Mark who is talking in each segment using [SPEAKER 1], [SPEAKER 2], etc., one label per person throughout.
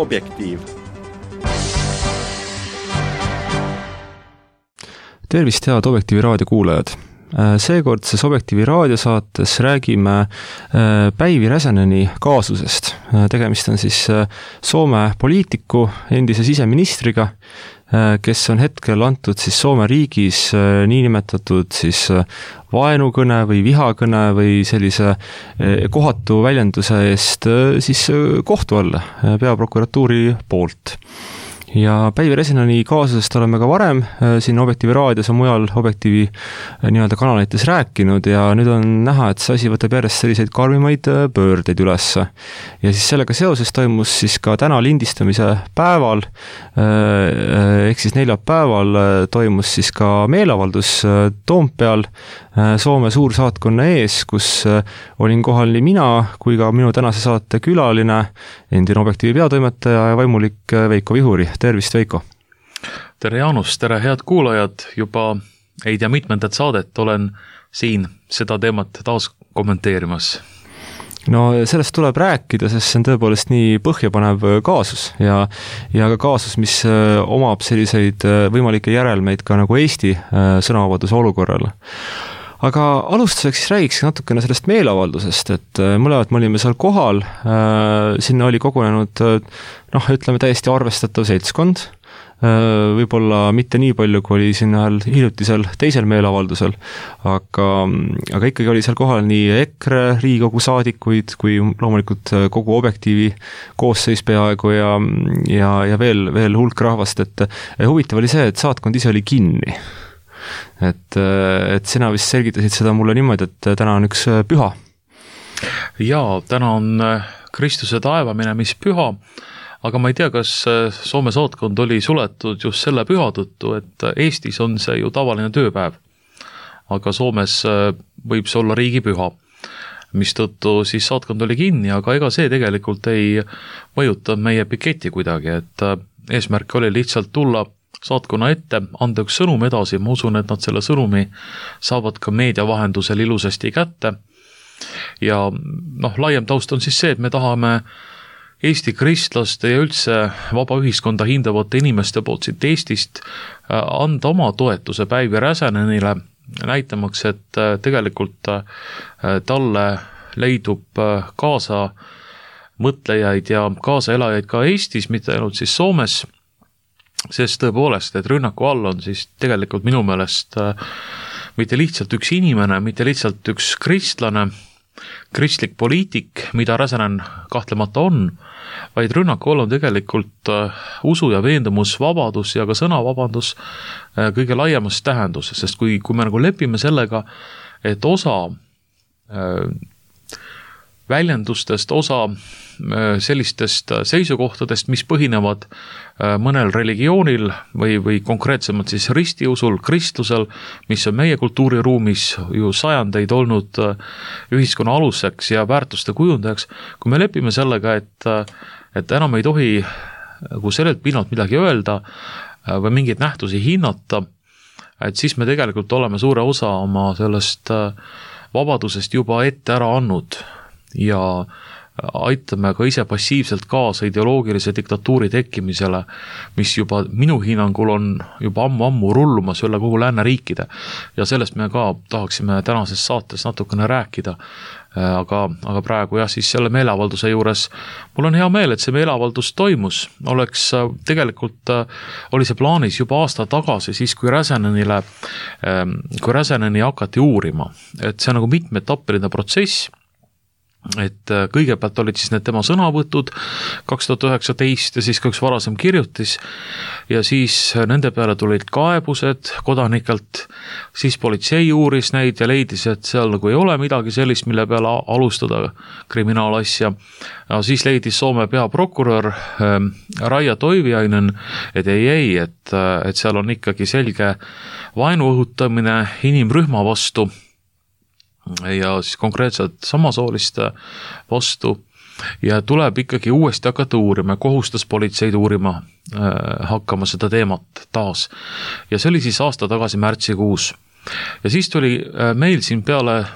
[SPEAKER 1] Objektiiv.
[SPEAKER 2] Tervist, head Objektiivi raadio kuulajad! Seekordses Objektiivi raadiosaates räägime Päivi Räsäneni kaasusest. Tegemist on siis Soome poliitiku, endise siseministriga, kes on hetkel antud siis Soome riigis niinimetatud siis vaenukõne või vihakõne või sellise kohatu väljenduse eest siis kohtu alla peaprokuratuuri poolt. Ja Päivi Räsäneni kaasusest oleme ka varem siin Objektiivi raadios ja mujal Objektiivi nii-öelda kanalites rääkinud ja nüüd on näha, et see asi võtab järjest selliseid karmimaid pöördeid üles. Ja siis sellega seoses toimus siis ka täna lindistamise päeval, ehk siis neljapäeval toimus siis ka meeleavaldus Toompeal Soome suursaatkonna ees, kus olin kohal nii mina kui ka minu tänase saate külaline, endine Objektiivi peatoimetaja ja vaimulik Veiko Vihuri. Tervist, Veiko!
[SPEAKER 3] Tere, Jaanus! Tere, head kuulajad! Juba ei tea mitmendat saadet olen siin seda teemat taas kommenteerimas.
[SPEAKER 2] No sellest tuleb rääkida, sest see on tõepoolest nii põhjapanev kaasus ja ka kaasus, mis omab selliseid võimalikke järelmeid ka nagu Eesti sõnavabaduse olukorral. Aga alustuseks siis räägiks natukene sellest meeleavaldusest, et mõlemad me olime seal kohal, sinna oli kogunenud, ütleme täiesti arvestatav seltskond, võib-olla mitte nii palju, kui oli sinna hiljutisel teisel meeleavaldusel, aga ikkagi oli seal kohal nii EKRE Riigikogu saadikuid, kui loomulikult kogu Objektiivi koosseis peaaegu ja veel hulk rahvast, et huvitav oli see, et saatkond ise oli kinni. Et sina vist selgitasid seda mulle niimoodi, et täna on üks püha.
[SPEAKER 3] Jaa, täna on Kristuse taevaminemishüha, aga ma ei tea, kas Soome saatkond oli suletud just selle püha tõttu, et Eestis on see ju tavaline tööpäev, aga Soomes võib see olla riigipüha, mistõttu siis saatkond oli kinni, aga ega see tegelikult ei mõjuta meie piketi kuidagi, et eesmärk oli lihtsalt tulla saatkonna ette, anda üks sõnum edasi, ma usun, et nad selle sõnumi saavad ka meedia vahendusel ilusasti kätte. Ja laiem taust on siis see, et me tahame Eesti kristlaste ja üldse vaba ühiskonda hindavate inimeste poolt siit Eestist anda oma toetuse Päivi Räsänenile, näitamaks, et tegelikult talle leidub kaasa mõtlejaid ja kaasaelajaid ka Eestis, mitte ainult siis Soomes, sest tõepoolest, et rünnaku all on siis tegelikult minu meelest mitte lihtsalt üks inimene, mitte lihtsalt üks kristlane, kristlik poliitik, mida Räsänen kahtlemata on, vaid rünnaku all on tegelikult usu ja veendumusvabadus ja ka sõnavabadus kõige laiemas tähenduses, sest kui me nagu lepime sellega, et osa väljendustest, osa sellistest seisukohtadest, mis põhinevad mõnel religioonil või konkreetsemalt siis ristiusul, kristlusel, mis on meie kultuuriruumis ju sajandeid olnud ühiskonna aluseks ja väärtuste kujundajaks, kui me lepime sellega, et enam ei tohi sellelt pinnalt midagi öelda või mingeid nähtusi hinnata, et siis me tegelikult oleme suure osa oma sellest vabadusest juba ette ära andnud ja aitame ka ise passiivselt kaasa ideoloogilise diktatuuri tekkimisele, mis juba minu hinnangul on juba ammu rullumas üle kogu lääneriikide ja sellest me ka tahaksime tänases saates natukene rääkida, aga praegu jah, siis selle meeleavalduse juures mul on hea meel, et see meeleavaldus toimus, tegelikult oli see plaanis juba aasta tagasi, siis kui Räsäneni hakati uurima, et see on nagu mitmeetappeline protsess, et kõigepealt olid siis need tema sõnavõtud 2019 ja siis ka üks varasem kirjutis ja siis nende peale tulid kaebused kodanikelt, siis politsei uuris neid ja leidis, et seal nagu ei ole midagi sellist, mille peale alustada kriminaalasja. Siis leidis Soome peaprokurör Raija Toiviainen, et et seal on ikkagi selge vaenu õhutamine inimrühma vastu ja siis konkreetselt samasooliste vastu ja tuleb ikkagi uuesti hakata uurima, kohustas politseid uurima hakkama seda teemat taas. Ja see oli siis aasta tagasi märtsikuus. Ja siis tuli meil siin peale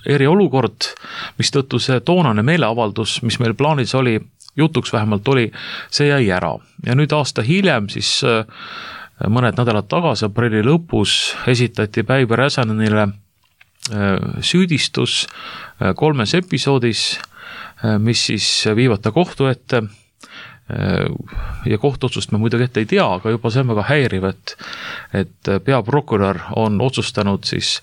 [SPEAKER 3] eriolukord, mis tõttu see toonane meeleavaldus, mis meil plaanis oli jutuks vähemalt oli, see jäi ära. Ja nüüd aasta hiljem siis mõned nädalad tagasi, aprilli lõpus esitati Päivi Räsänenile süüdistus 3 episoodis, mis siis viivad ta kohtu ette ja kohtuotsust me muidugi ette ei tea, aga juba see on väga häiriv, et peaprokurör on otsustanud siis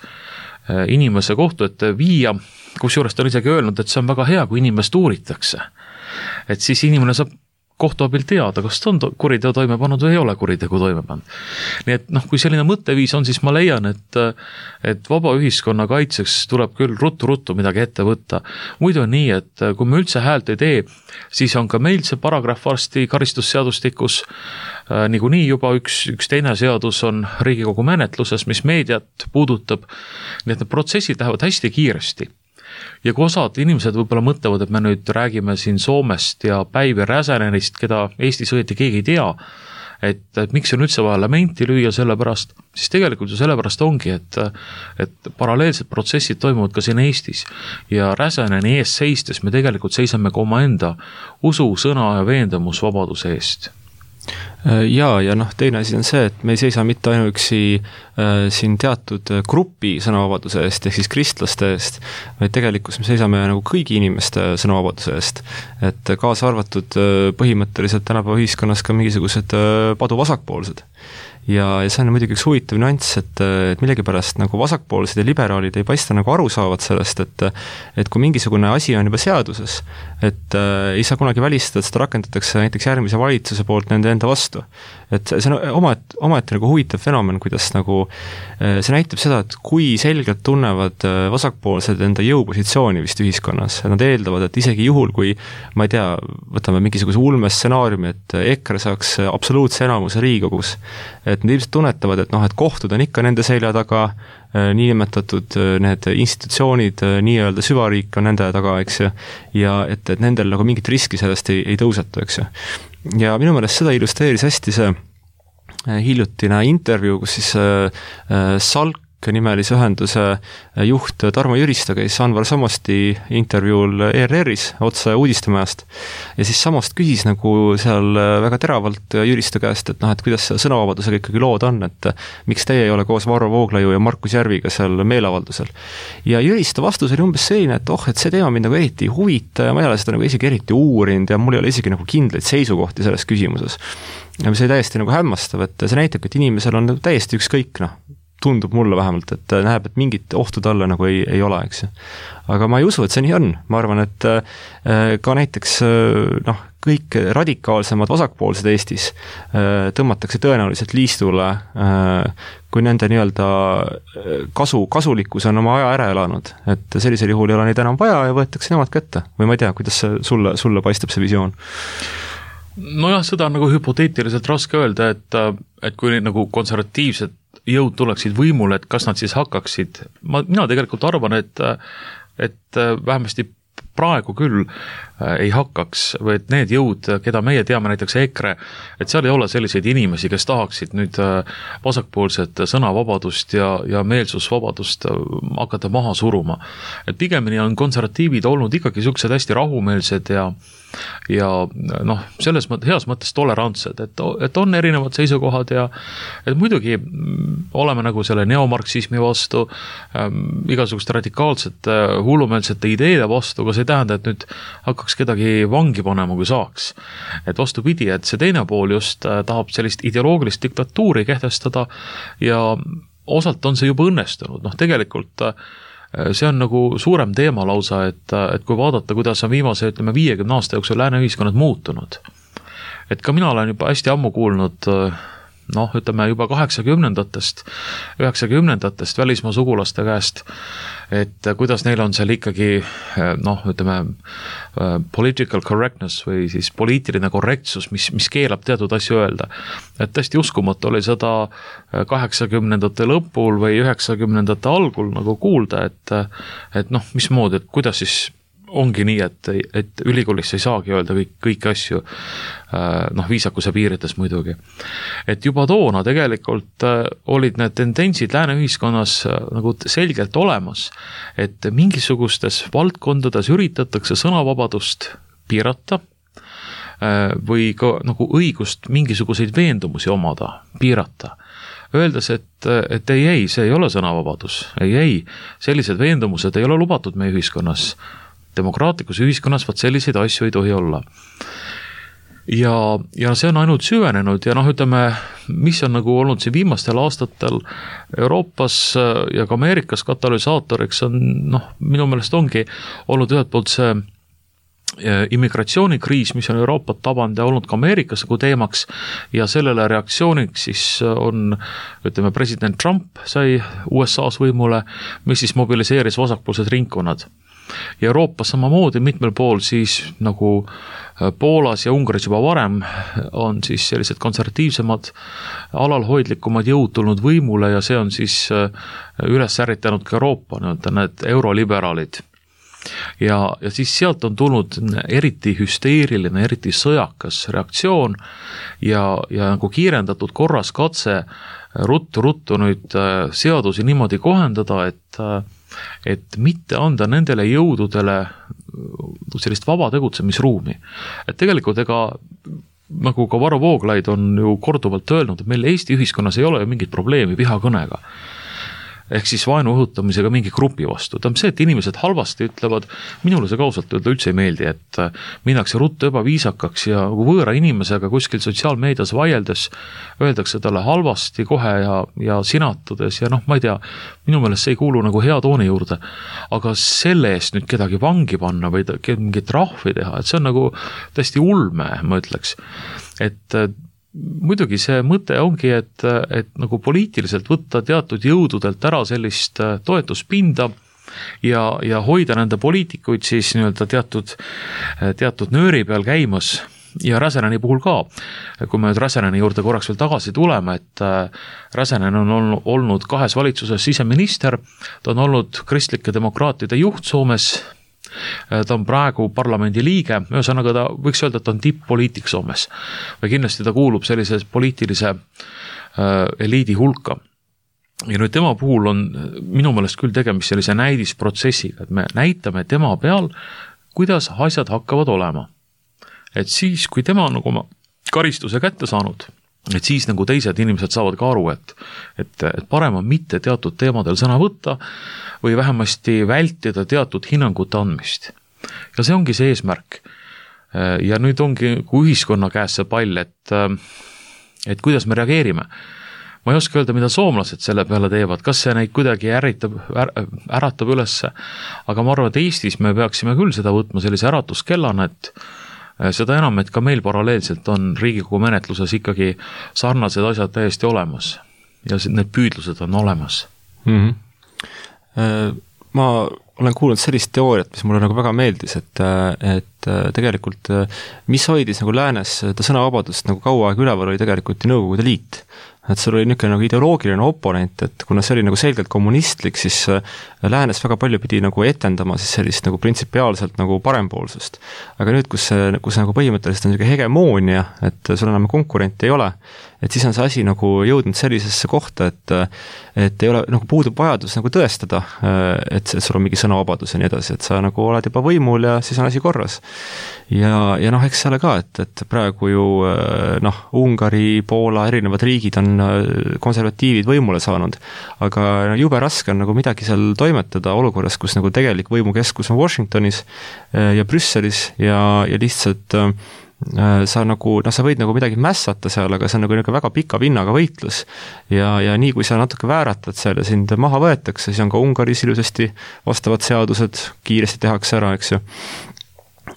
[SPEAKER 3] inimese kohtu ette viia, kusjuures ta on isegi öelnud, et see on väga hea, kui inimest uuritakse. Et siis inimene saab kohtu abil teada, kas ta on kuriteo toime pannud või ei ole kuritegu toime pannud. Nii et kui selline mõtteviis on, siis ma leian, et vaba ühiskonna kaitseks tuleb küll ruttu midagi ette võtta. Muidu on nii, et kui me üldse häält ei tee, siis on ka meil see paragrahv varsti karistusseadustikus, niikuinii juba üks teine seadus on Riigikogu menetluses, mis meediat puudutab, nii et need protsessid lähevad hästi kiiresti. Ja kui osad inimesed võib-olla mõtlevad, et me nüüd räägime siin Soomest ja Päivi Räsänenist, keda Eestis õieti keegi ei tea, et miks on üldse vaja lamenti lüüa selle pärast, siis tegelikult ju selle pärast ongi, et paralleelsed protsessid toimuvad ka siin Eestis ja Räsäneni ees seistes me tegelikult seisame ka omaenda usu, sõna ja veendumusvabaduse eest.
[SPEAKER 2] Ja teine asi on see, et me ei seisa mitte ainuüksi siin teatud grupi sõnavabaduse eest, ehk siis kristlaste eest, vaid tegelikult me seisame nagu kõigi inimeste sõnavabaduse eest. Et kaasa arvatud põhimõtteliselt tänapäeva ühiskonnas ka mingisugused paduvasakpoolsed. Ja see on muidugi üks huvitav nüanss, et millegipärast nagu vasakpoolsed ja liberaalid ei paista nagu aru saavad sellest, et kui mingisugune asi on juba seaduses, et ei saa kunagi välistada, et seda rakendatakse näiteks järgmise valitsuse poolt nende enda vastu. Et see on omaette nagu huvitav fenomen, kuidas nagu see näitab seda, et kui selgelt tunnevad vasakpoolsed enda jõupositsiooni vist ühiskonnas. Nad eeldavad, et isegi juhul, kui ma ei tea, võtame mingisuguse ulmestsenaariumi, et EKRE saaks absoluutse enamuse Riigikogus, et nad ilmselt tunnetavad, et kohtud on ikka nende selja taga, niinimetatud need institutsioonid, nii-öelda süvariik on nende taga, eks ju, ja et nendel nagu mingit riski sellest ei tõusetu, eks ju. Ja minu meelest seda illustreeris hästi see hiljutine intervjuu, kus siis Salk nimelise ühenduse juht Tarmo Jüristo käis Anvar Samosti intervjuul ERR-is otse uudistemajast ja siis Samost küsis nagu seal väga teravalt Jüristo käest, et kuidas sõnavabadusega ikkagi lood on, et miks teie ei ole koos Varro Vooglaiu ja Markus Järviga seal meeleavaldusel. Ja Jüristo vastus oli umbes selline, et see teema mind nagu eriti ei huvita ja ma ei ole seda nagu isegi eriti uurinud ja mul ei ole isegi nagu kindlaid seisukohti selles küsimuses. Ja mis oli täiesti nagu hämmastav, et see näitab, et inimesel on täiesti ükskõik, tundub mulle vähemalt, et näeb, et mingit ohtu talle nagu ei ole, eks. Aga ma ei usu, et see nii on. Ma arvan, et ka näiteks kõik radikaalsemad vasakpoolsed Eestis tõmmatakse tõenäoliselt liistule, kui nende nii-öelda kasulikkus on oma aja ära elanud. Et sellisel juhul ei ole neid enam vaja ja võetakse nemad kätte. Või ma ei tea, kuidas sulle paistab see visioon?
[SPEAKER 3] Nojah, seda on nagu hüpoteetiliselt raske öelda, et kui nagu konservatiivsed jõud tuleksid võimule, et kas nad siis hakkaksid, mina tegelikult arvan, et vähemasti praegu küll ei hakkaks, või et need jõud, keda meie teame, näiteks EKRE, et seal ei ole selliseid inimesi, kes tahaksid nüüd vasakpoolset sõnavabadust ja meelsusvabadust hakata maha suruma. Et pigemini on konservatiivid olnud ikkagi sellised hästi rahumeelsed ja selles heas mõttes tolerantsed, et on erinevad seisukohad ja et muidugi oleme nagu selle neomarksismi vastu, igasuguste radikaalsete hullumeelsete ideede vastu, aga see ei tähenda, et nüüd hakkaks kedagi vangi panema, kui saaks. Et vastupidi, et see teine pool just tahab sellist ideoloogilist diktatuuri kehtestada ja osalt on see juba õnnestunud. Tegelikult see on nagu suurem teema lausa, et kui vaadata, kuidas on viimase, 50 aasta jooksul lääne ühiskonnad muutunud. Et ka mina olen juba hästi ammu kuulnud, juba 80-ndatest välismaa sugulaste käest, et kuidas neil on seal ikkagi, political correctness või siis poliitiline korrektsus, mis keelab teatud asju öelda. Et tõesti uskumatu oli seda 80-ndate lõpul või 90-ndate algul nagu kuulda, et mismoodi, et kuidas siis ongi nii, et ülikoolis ei saagi öelda kõiki asju, viisakuse piirides muidugi. Et juba toona tegelikult olid need tendentsid lääne ühiskonnas nagu selgelt olemas, et mingisugustes valdkondades üritatakse sõnavabadust piirata või ka nagu õigust mingisuguseid veendumusi omada, piirata. Öeldes, et ei, see ei ole sõnavabadus, ei, sellised veendumused ei ole lubatud meie ühiskonnas. Demokraatlikus ühiskonnas vaat selliseid asju ei tohi olla. Ja see on ainult süvenenud ja ütleme, mis on nagu olnud siin viimastel aastatel Euroopas ja ka Ameerikas katalüsaatoriks on, minu meelest ongi olnud ühelt poolt see immigratsioonikriis, mis on Euroopat tabanud ja olnud ka Ameerikas nagu teemaks ja sellele reaktsiooniks siis on, ütleme, president Trump sai USA-s võimule, mis siis mobiliseeris vasakpoolsed ringkonnad. Ja Euroopas samamoodi mitmel pool siis nagu Poolas ja Ungaris juba varem on siis sellised konservatiivsemad, alalhoidlikumad jõud tulnud võimule ja see on siis üles ärritanud ka Euroopa, need euroliberaalid. Ja siis sealt on tulnud eriti hüsteeriline, eriti sõjakas reaktsioon ja nagu kiirendatud korras katse ruttu nüüd seadusi niimoodi kohendada, et mitte anda nendele jõududele sellist vaba tegutsemisruumi. Et tegelikult nagu ka Varro Vooglaid on ju korduvalt öelnud, et meil Eesti ühiskonnas ei ole ju mingit probleemi vihakõnega. Ehk siis vaenu õhutamisega mingi grupi vastu. Ta on see, et inimesed halvasti ütlevad, minule see kausalt öelda üldse ei meeldi, et minnakse ruttu ebaviisakaks ja võõra inimesega kuskil sotsiaalmeedias vaieldes öeldakse talle halvasti kohe ja sinatudes ja ma ei tea, minu meelest see ei kuulu nagu hea tooni juurde. Aga selle eest nüüd kedagi vangi panna või mingit rahvi teha, et see on nagu täiesti ulme, ma ütleks. Et muidugi see mõte ongi, et nagu poliitiliselt võtta teatud jõududelt ära sellist toetuspinda ja hoida nende poliitikuid siis nii-öelda teatud nööri peal käimas ja Räsäneni puhul ka. Kui me nüüd Räsäneni juurde korraks veel tagasi tuleme, et Räsänen on olnud 2 valitsuses siseminister, ta on olnud kristlike demokraatide juht Soomes, ta on praegu parlamendi liige, ühesõnaga ta võiks öelda, et ta on tipp-poliitik Soomes või kindlasti ta kuulub sellise poliitilise eliidi hulka. Ja nüüd tema puhul on minu meelest küll tegemist sellise näidisprotsessiga, et me näitame tema peal, kuidas asjad hakkavad olema. Et siis, kui tema on nagu oma karistuse kätte saanud, et siis nagu teised inimesed saavad ka aru, et parem on mitte teatud teemadel sõna võtta või vähemasti vältida teatud hinnangute andmist. Ja see ongi see eesmärk. Ja nüüd ongi ühiskonna käes see pall, et kuidas me reageerime. Ma ei oska öelda, mida soomlased selle peale teevad, kas see neid kuidagi äratab ülesse, aga ma arvan, et Eestis me peaksime küll seda võtma sellise äratuskellana, et seda enam, et ka meil paralleelselt on Riigikogu menetluses ikkagi sarnased asjad täiesti olemas ja need püüdlused on olemas.
[SPEAKER 2] Ma olen kuulnud sellist teooriat, mis mulle nagu väga meeldis, et tegelikult mis hoidis nagu läänes seda sõnavabadust nagu kaua aega üleval oli tegelikult Nõukogude Liit. Et sul oli niisugune nagu ideoloogiline oponent, et kuna see oli nagu selgelt kommunistlik, siis läänes väga palju pidi nagu etendama siis sellist nagu printsipiaalselt nagu parempoolsust. Aga nüüd, kus nagu põhimõtteliselt on niisugune hegemoonia, et sul enam konkurenti ei ole, et siis on see asi nagu jõudnud sellisesse kohta, et ei ole, nagu puudub vajadus nagu tõestada, et sul on mingi sõnavabadus ja nii edasi, et sa nagu oled juba võimul ja siis on asi korras. Ja eks selle ka, et praegu ju Ungari, Poola, erinevad riigid on konservatiivid võimule saanud, aga jube raske on nagu midagi seal toimetada olukorras, kus nagu tegelik võimukeskus on Washingtonis ja Brüsselis ja lihtsalt sa nagu, sa võid nagu midagi mässata seal, aga see on nagu väga pika vinnaga võitlus ja nii kui sa natuke vääratad seal ja sind maha võetakse, siis on ka Ungaris ilusasti vastavad seadused kiiresti tehakse ära, eks ju.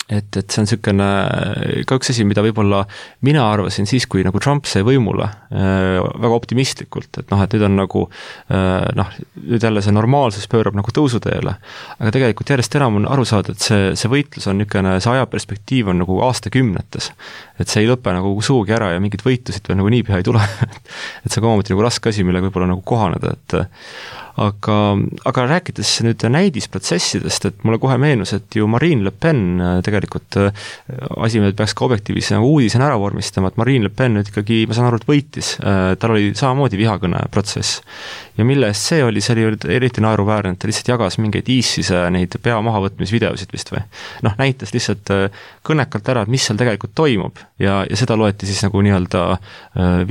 [SPEAKER 2] Et see on niisugune ka üks asi, mida võib-olla mina arvasin siis, kui nagu Trump sai võimule väga optimistlikult, et nüüd on nagu nüüd jälle see normaalsus pöörab nagu tõusuteele, aga tegelikult järjest enam on aru saada, et see võitlus on niisugune, see ajaperspektiiv on nagu aastakümnetes, et see ei lõpe nagu suugi ära ja mingid võitlusid veel nagu niipea ei tule et see on omamoodi nagu raske asi, millega võib-olla nagu kohaneda, aga rääkides nüüd näidisprotsessidest, et mulle kohe meenus, et ju Marine Le Pen tegelikult asi, mida peaks ka objektiivis uudisena ära vormistama, et Marine Le Pen nüüd ikkagi, ma saan aru, et võitis, tal oli samamoodi vihakõne protsess. Ja mille eest see oli eriti naeruväärne, et ta lihtsalt jagas mingeid ISISe neid pea mahavõtmisvideosid vist või. Näitas lihtsalt kõnekalt ära, et mis seal tegelikult toimub ja seda loeti siis nagu nii-öelda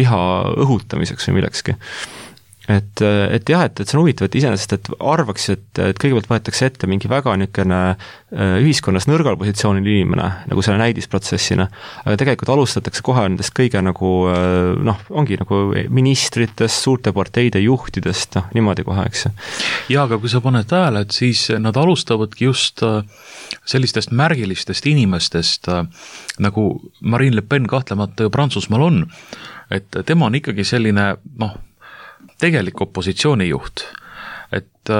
[SPEAKER 2] viha õhutamiseks või millekski. Et jah, et see on huvitav, et iseenesest, et arvaks, et kõigepealt võetakse ette mingi väga niisugune ühiskonnas nõrgal positsioonil inimene, nagu selle näidisprotsessina, aga tegelikult alustatakse kohe nendest kõige nagu, ongi nagu ministritest, suurte parteide juhtidest, niimoodi kohe, eks.
[SPEAKER 3] Ja, aga kui sa paned tähele, et siis nad alustavadki just sellistest märgilistest inimestest, nagu Marine Le Pen kahtlemata Prantsusmaal on, et tema on ikkagi selline, tegelik opositsioonijuht, et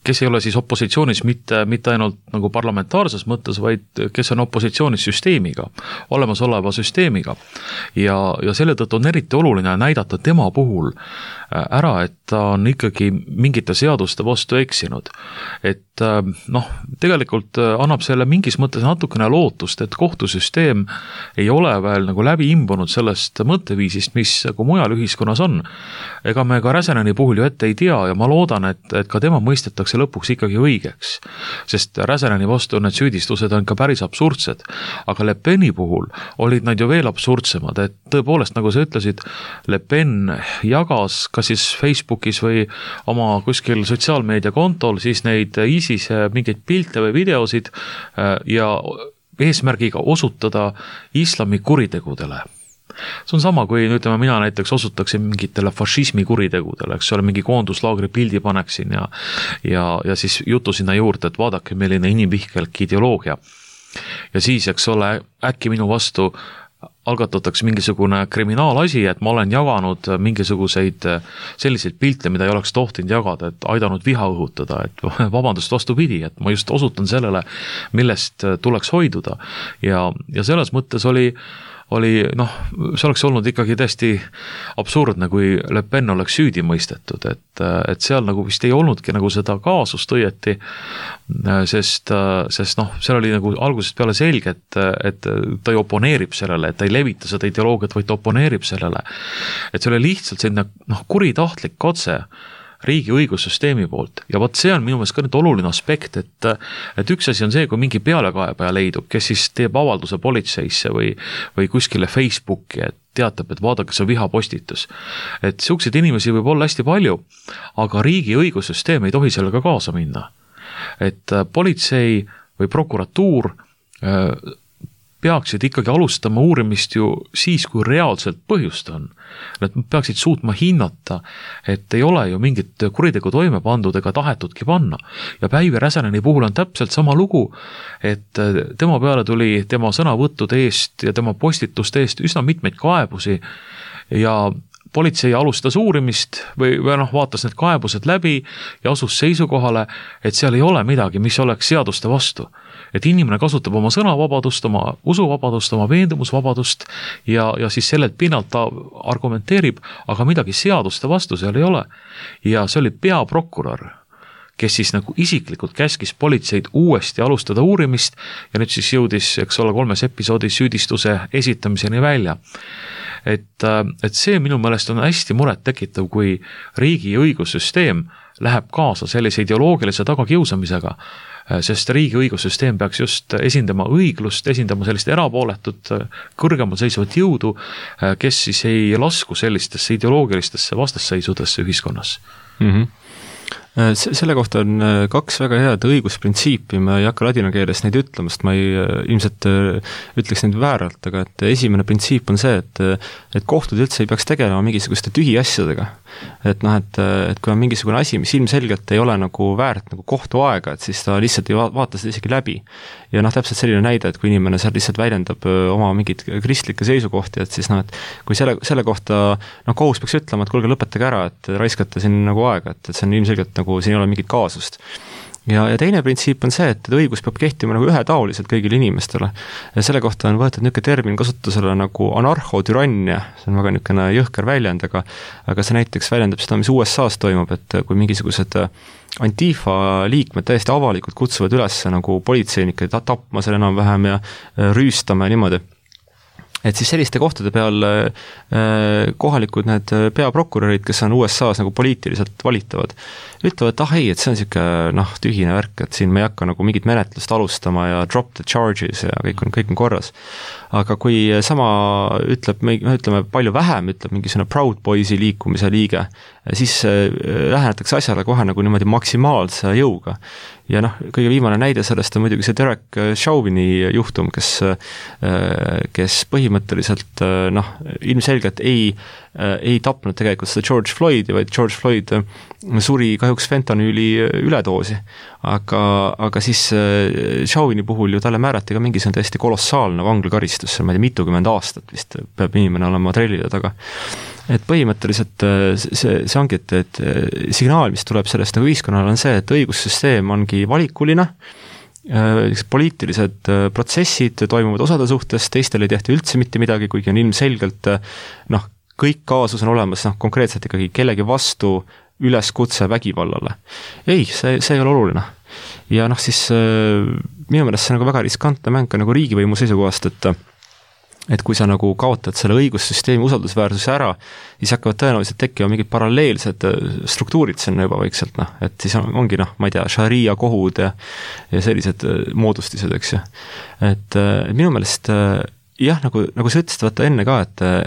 [SPEAKER 3] kes ei ole siis opositsioonis mitte ainult nagu parlamentaarses mõttes, vaid kes on opositsioonis süsteemiga, olemasoleva süsteemiga. Ja selle tõttu on eriti oluline näidata tema puhul ära, et ta on ikkagi mingite seaduste vastu eksinud. Et tegelikult annab selle mingis mõttes natukene lootust, et kohtusüsteem ei ole veel nagu läbi imbunud sellest mõtteviisist, mis nagu mujal ühiskonnas on. Ega me ka Räseneni puhul ju ette ei tea ja ma loodan, et ka tema mõistetakse lõpuks ikkagi õigeks, sest Räseneni vastu need süüdistused on ka päris absurdsed, aga Le Peni puhul olid nad ju veel absurdsemad, et tõepoolest, nagu sa ütlesid, Le Pen jagas kas siis Facebookis või oma kuskil sotsiaalmeedia kontol siis neid ISISe mingeid pilte või videosid ja eesmärgiga osutada islami kuritegudele. See on sama, kui ütleme, mina näiteks osutaksin mingitele fašismi kuritegudele, eks ole, mingi koonduslaagri pildi paneksin ja siis jutu sinna juurde, et vaadake, milline inimvihkelk ideoloogia. Ja siis, eks ole, äkki minu vastu algatatakse mingisugune kriminaalasi, et ma olen jaganud mingisuguseid selliseid pilte, mida ei oleks tohtinud jagada, et aidanud viha õhutada, et vabandust vastupidi, et ma just osutan sellele, millest tuleks hoiduda. Ja selles mõttes oli see oleks olnud ikkagi täiesti absurdne, kui Le Pen oleks süüdi mõistetud, et seal nagu vist ei olnudki nagu seda kaasust õieti, sest seal oli nagu algusest peale selge, et ta ju oponeerib sellele, et ta ei levita seda ideoloogiat, vaid ta oponeerib sellele. Et see oli lihtsalt selline kuritahtlik katse riigi õigussüsteemi poolt ja vot see on minu meelest ka nüüd oluline aspekt, et üks asi on see, kui mingi pealekaebaja leidub, kes siis teeb avalduse politseisse või kuskile Facebooki, et teatab, et vaadake, see on vihapostitus. Et selliseid inimesi võib olla hästi palju, aga riigi õigussüsteem ei tohi sellega kaasa minna. Et politsei või prokuratuur peaksid ikkagi alustama uurimist ju siis, kui reaalselt põhjust on. Nad peaksid suutma hinnata, et ei ole ju mingit kuritegu toime pandud ega tahetudki panna. Ja Päivi Räseneni puhul on täpselt sama lugu, et tema peale tuli tema sõnavõttude eest ja tema postituste eest üsna mitmeid kaebusi ja politsei alustas uurimist või vaatas need kaebused läbi ja asus seisukohale, et seal ei ole midagi, mis oleks seaduste vastu. Et inimene kasutab oma sõnavabadust, oma usuvabadust, oma veendumusvabadust ja siis sellelt pinnalt ta argumenteerib, aga midagi seaduste vastu seal ei ole. Ja see oli peaprokurör, kes siis nagu isiklikult käskis politseid uuesti alustada uurimist ja nüüd siis jõudis, eks ole, 3 episoodis süüdistuse esitamiseni välja. Et see minu meelest on hästi muret tekitav, kui riigi õigussüsteem läheb kaasa sellise ideoloogilise tagakiusamisega, sest riigi õigussüsteem peaks just esindama õiglust, esindama sellist erapooletut, kõrgemal seisvat jõudu, kes siis ei lasku sellistesse ideoloogilistesse vastasseisudesse ühiskonnas.
[SPEAKER 2] Selle kohta on 2 väga head õigusprintsiipi, ma ei hakka ladina keeles neid ütlemast, ma ilmselt ütleks neid vääralt, aga et esimene printsiip on see, et kohtud üldse ei peaks tegelema mingisuguste tühi asjadega. Et kui on mingisugune asi, mis ilmselgelt ei ole nagu väärt nagu kohtu aega, et siis ta lihtsalt ei vaata seda isegi läbi. Ja täpselt selline näide, et kui inimene seal lihtsalt väljendab oma mingid kristlikke seisukohti, et siis et kui selle kohta kohus peaks ütlema, et kuulge, lõpetage ära, et raiskate siin nagu aega, et see on ilmselgelt nagu siin ei ole mingit kaasust. ja teine printsiip on see, et õigus peab kehtima nagu ühetaoliselt kõigile inimestele. Ja selle kohta on võetud niisugune termin kasutusele nagu anarhotürannia, see on väga niisugune jõhker väljend, aga see näiteks väljendab seda, mis USA-s toimub, et kui mingisugused Antifa liikmed täiesti avalikult kutsuvad üles nagu politseinikke tapma seal enam-vähem ja rüüstama ja niimoodi. Et siis selliste kohtade peal kohalikud need peaprokurörid, kes on USA-s nagu poliitiliselt valitavad, ütlevad, et ei, et see on niisugune tühine värk, et siin me ei hakka nagu mingit menetlust alustama ja drop the charges ja kõik on korras. Aga kui sama ütleme palju vähem, ütleb mingisugune Proud Boysi liikumise liige, siis lähenetakse asjale kohe nagu niimoodi maksimaalse jõuga. Ja kõige viimane näide sellest on muidugi see Derek Chauvini juhtum, kes põhimõtteliselt ilmselgelt ei tapnud tegelikult seda George Floydi, vaid George Floyd suri kahjuks fentanüüli üledoosi. Aga siis Chauvini puhul ju talle määrati ka mingisugune täiesti kolossaalne vanglakaristus, ma ei tea, mitukümmend aastat vist peab inimene olema trellide taga. Et põhimõtteliselt see ongi, et signaal, mis tuleb sellest nagu ühiskonnal on see, et õigussüsteem ongi valikuline, poliitilised protsessid toimuvad osade suhtes, teistel ei tehta üldse mitte midagi, kuigi on ilmselgelt kõik kaasus on olemas konkreetselt ikkagi kellegi vastu üleskutse vägivallale. Ei, see ei ole oluline. Ja siis minu meelest see on nagu väga riskantne mäng nagu riigivõimu seisukohast, et kui sa nagu kaotad selle õigussüsteemi usaldusväärsuse ära, siis hakkavad tõenäoliselt tekkima mingid paralleelsed struktuurid sinna juba vaikselt, et siis ongi, ma ei tea, šaria kohud ja sellised moodustised, eks ju. Et minu meelest jah, nagu sa ütlesid, vaata enne ka,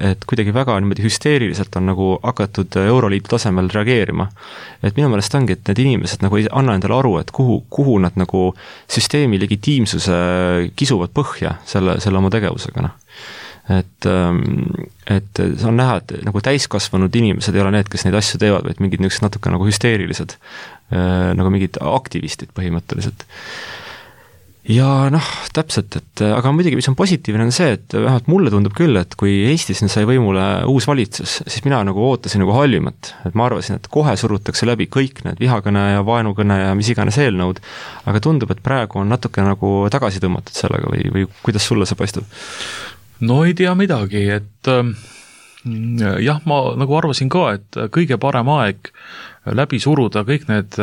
[SPEAKER 2] et kuidagi väga niimoodi hüsteeriliselt on nagu hakatud Euroliidu tasemel reageerima. Et minu meelest ongi, et need inimesed nagu ei anna endale aru, et kuhu nad nagu süsteemi legitiimsuse kisuvad põhja selle oma tegevusega. Et see on näha, et nagu täiskasvanud inimesed ei ole need, kes neid asju teevad, vaid mingid niisugused natuke nagu hüsteerilised, nagu mingid aktivistid põhimõtteliselt. Ja täpselt, aga muidugi, mis on positiivne on see, et vähemalt mulle tundub küll, et kui Eestis sai võimule uus valitsus, siis mina nagu ootasin nagu halvimat, et ma arvasin, et kohe surutakse läbi kõik need vihakõne ja vaenukõne ja mis iganes eelnõud, aga tundub, et praegu on natuke nagu tagasi tõmmatud sellega või kuidas sulle see paistab?
[SPEAKER 3] No ei tea midagi, et jah, ma nagu arvasin ka, et kõige parem aeg läbi suruda kõik need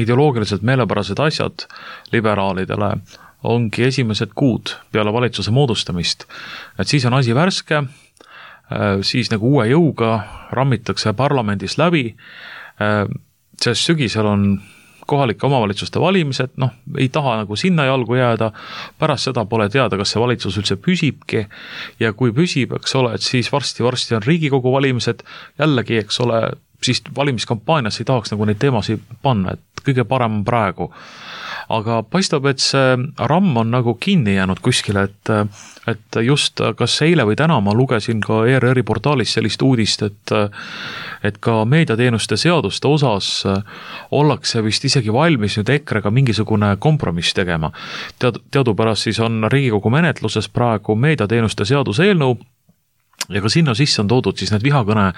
[SPEAKER 3] ideoloogiliselt meelepärased asjad liberaalidele ongi esimesed kuud peale valitsuse moodustamist. Et siis on asi värske, siis nagu uue jõuga rammitakse parlamendis läbi, sest sügisel on kohalike omavalitsuste valimised, ei taha nagu sinna jalgu jääda, pärast seda pole teada, kas see valitsus üldse püsibki ja kui püsib, eks ole, et siis varsti on Riigikogu valimised, jällegi, eks ole, siis valimiskampaanias ei tahaks nagu neid teemasid panna, et kõige parem on praegu. Aga paistab, et see ramm on nagu kinni jäänud kuskile, et just kas eile või täna ma lugesin ka ERR-i portaalis sellist uudist, et ka meediateenuste seaduste osas ollakse vist isegi valmis nüüd EKRE-ga mingisugune kompromiss tegema. Teadupärast siis on Riigikogu menetluses praegu meediateenuste seaduse eelnõu ja ka sinna sisse on toodud siis need vihakõne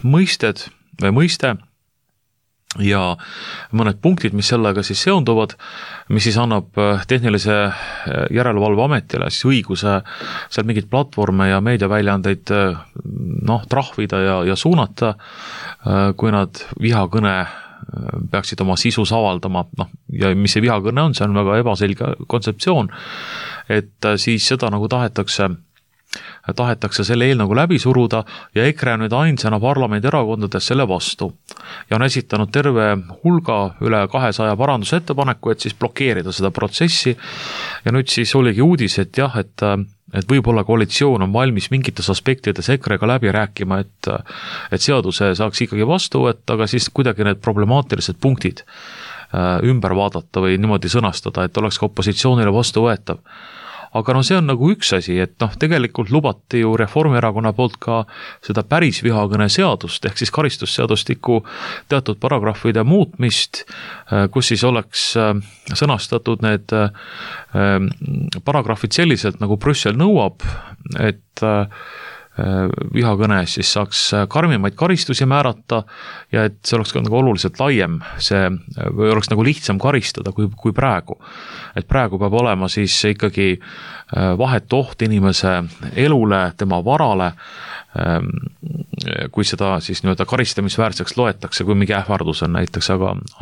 [SPEAKER 3] mõiste ja mõned punktid, mis sellega siis seonduvad, mis siis annab tehnilise järelevalve ametile siis õiguse seal mingid platvorme ja meediaväljaandeid trahvida ja suunata, kui nad vihakõne peaksid oma sisus avaldama, ja mis see vihakõne on, see on väga ebaselge kontseptsioon, et siis seda nagu tahetakse selle eelnõuga läbi suruda ja EKRE on nüüd ainsana parlamendi erakondades selle vastu ja on esitanud terve hulga üle 200 parandusettepaneku, et siis blokeerida seda protsessi ja nüüd siis oligi uudis, et jah, et võib-olla koalitsioon on valmis mingites aspektides EKRE-ga läbi rääkima, et seaduse saaks ikkagi vastu võtta, aga siis kuidagi need problemaatilised punktid ümber vaadata või niimoodi sõnastada, et oleks ka opositsioonile vastu võetav. Aga see on nagu üks asi, et tegelikult lubati ju Reformierakonna poolt ka seda päris vihakõne seadust, ehk siis karistusseadustiku teatud paragrahvide muutmist, kus siis oleks sõnastatud need paragrahvid selliselt, nagu Brüssel nõuab, et vihakõne eest, siis saaks karmimaid karistusi määrata ja et see oleks ka nagu oluliselt laiem, või oleks nagu lihtsam karistada kui praegu. Et praegu peab olema siis ikkagi vahetu oht inimese elule, tema varale, kui seda siis nii-öelda karistamisväärseks loetakse, kui mingi ähvardus on näiteks,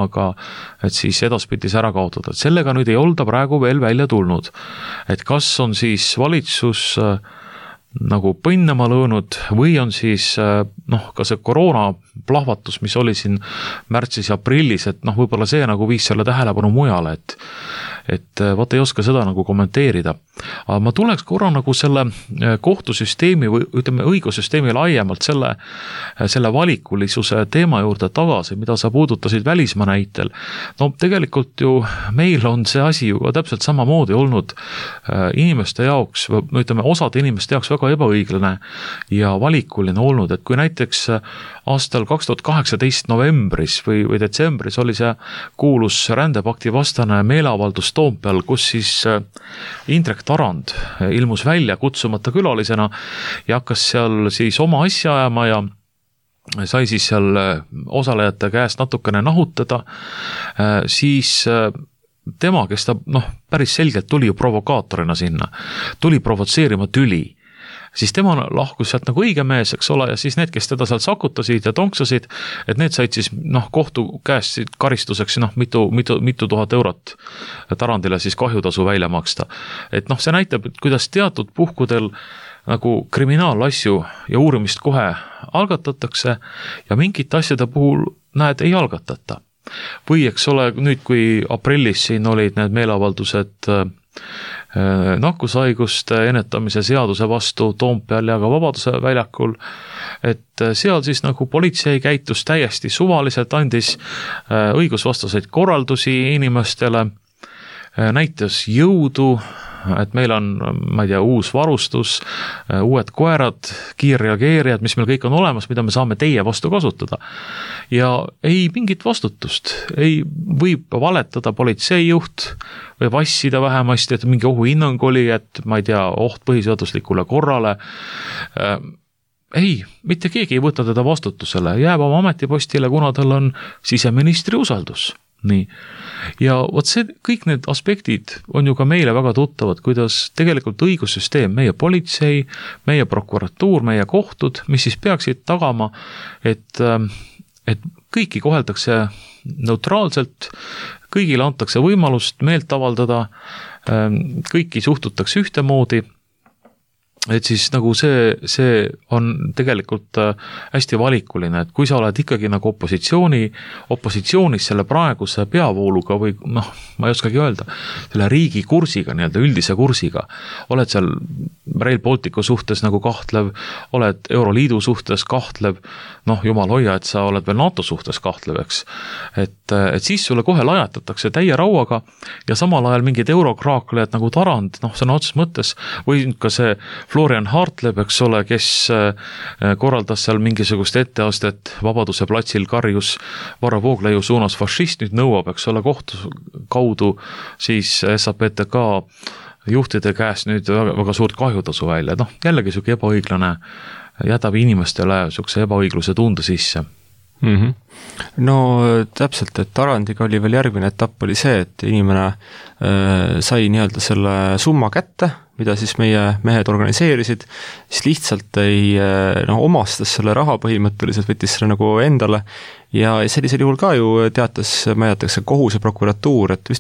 [SPEAKER 3] aga et siis edaspidi see ära kaotada. Et sellega nüüd ei olda praegu veel välja tulnud. Et kas on siis valitsus nagu põnnama lõõnud või on siis ka see koroona plahvatus, mis oli siin märtsis ja aprillis, et võib-olla see nagu viis selle tähelepanu mujale, et vaata ei oska seda nagu kommenteerida. Aga ma tuleks korra nagu selle kohtusüsteemi või ütleme õigussüsteemi laiemalt selle valikulisuse teema juurde tagasi, mida sa puudutasid välismaa näitel. No tegelikult ju meil on see asi ju ka täpselt samamoodi olnud inimeste jaoks, ütleme osade inimeste jaoks väga ebaõiglane ja valikuline olnud, et kui näiteks aastal 2018 novembris või detsembris oli see kuulus rändepakti vastane meeleavaldus Toompeal, kus siis Indrek Tarand ilmus välja kutsumata külalisena ja hakkas seal siis oma asja ajama ja sai siis seal osalejate käest natukene nahutada, siis tema, kes ta päris selgelt tuli ju provokaatorina sinna, tuli provotseerima tüli, siis tema lahkus sealt nagu õige mees, eks ole, ja siis need, kes teda sealt sakutasid ja tonksasid, et need said siis kohtu käest karistuseks mitu tuhat eurot Tarandile siis kahjutasu välja maksta. Et see näitab, et kuidas teatud puhkudel nagu kriminaalasju ja uurimist kohe algatatakse ja mingite asjade puhul ei algatata. Või eks ole, nüüd kui aprillis siin olid need meeleavaldused nakkushaiguste ennetamise seaduse vastu Toompeal ja ka Vabaduse väljakul, et seal siis nagu politsei käitus täiesti suvaliselt, andis õigusvastaseid korraldusi inimestele, näitas jõudu, et meil on, ma ei tea, uus varustus, uued koerad, kiirreageerijad, mis meil kõik on olemas, mida me saame teie vastu kasutada. Ja ei mingit vastutust, võib valetada politseijuht, või vassida vähemasti, et mingi ohuhinnang oli, et ma ei tea, oht põhiseaduslikule korrale. Ei, mitte keegi ei võta teda vastutusele, jääb oma ametipostile, kuna tal on siseministri usaldus. Nii. Ja see, kõik need aspektid on ju ka meile väga tuttavad, kuidas tegelikult õigussüsteem, meie politsei, meie prokuratuur, meie kohtud, mis siis peaksid tagama, et kõiki koheldakse neutraalselt, kõigile antakse võimalust meelt avaldada, kõiki suhtutakse ühtemoodi, et siis nagu see on tegelikult hästi valikuline, et kui sa oled ikkagi nagu opositsioonis selle praeguse peavooluga või ma ei oskagi öelda, selle riigi kursiga, nii-öelda üldise kursiga, oled seal Rail Balticu suhtes nagu kahtlev, oled Euroliidu suhtes kahtlev, jumal hoia, et sa oled veel NATO suhtes kahtlev, eks. Et siis sulle kohe lajatatakse täie rauaga ja samal ajal mingid eurokraaklejad nagu Tarand, sõna otseses mõttes, või ka see Florian Hartleb, eks ole, kes korraldas seal mingisugust etteastet Vabaduse platsil, karjus Varro Vooglaiu suunas fašist, nüüd nõuab, eks ole, kohtu kaudu siis SAPTK juhtide käest nüüd väga suurt kahjutasu välja. Jällegi suke ebaõiglane, jätab inimestele sukse ebaõigluse tunde sisse.
[SPEAKER 2] No täpselt, et Tarandiga oli veel järgmine etapp oli see, et inimene sai nii-öelda selle summa kätte, mida siis meie mehed organiseerisid, siis lihtsalt omastas selle raha põhimõtteliselt, võttis selle nagu endale ja sellisel juhul ka ju teatas, ma jätakse kohus ja prokuratuur, et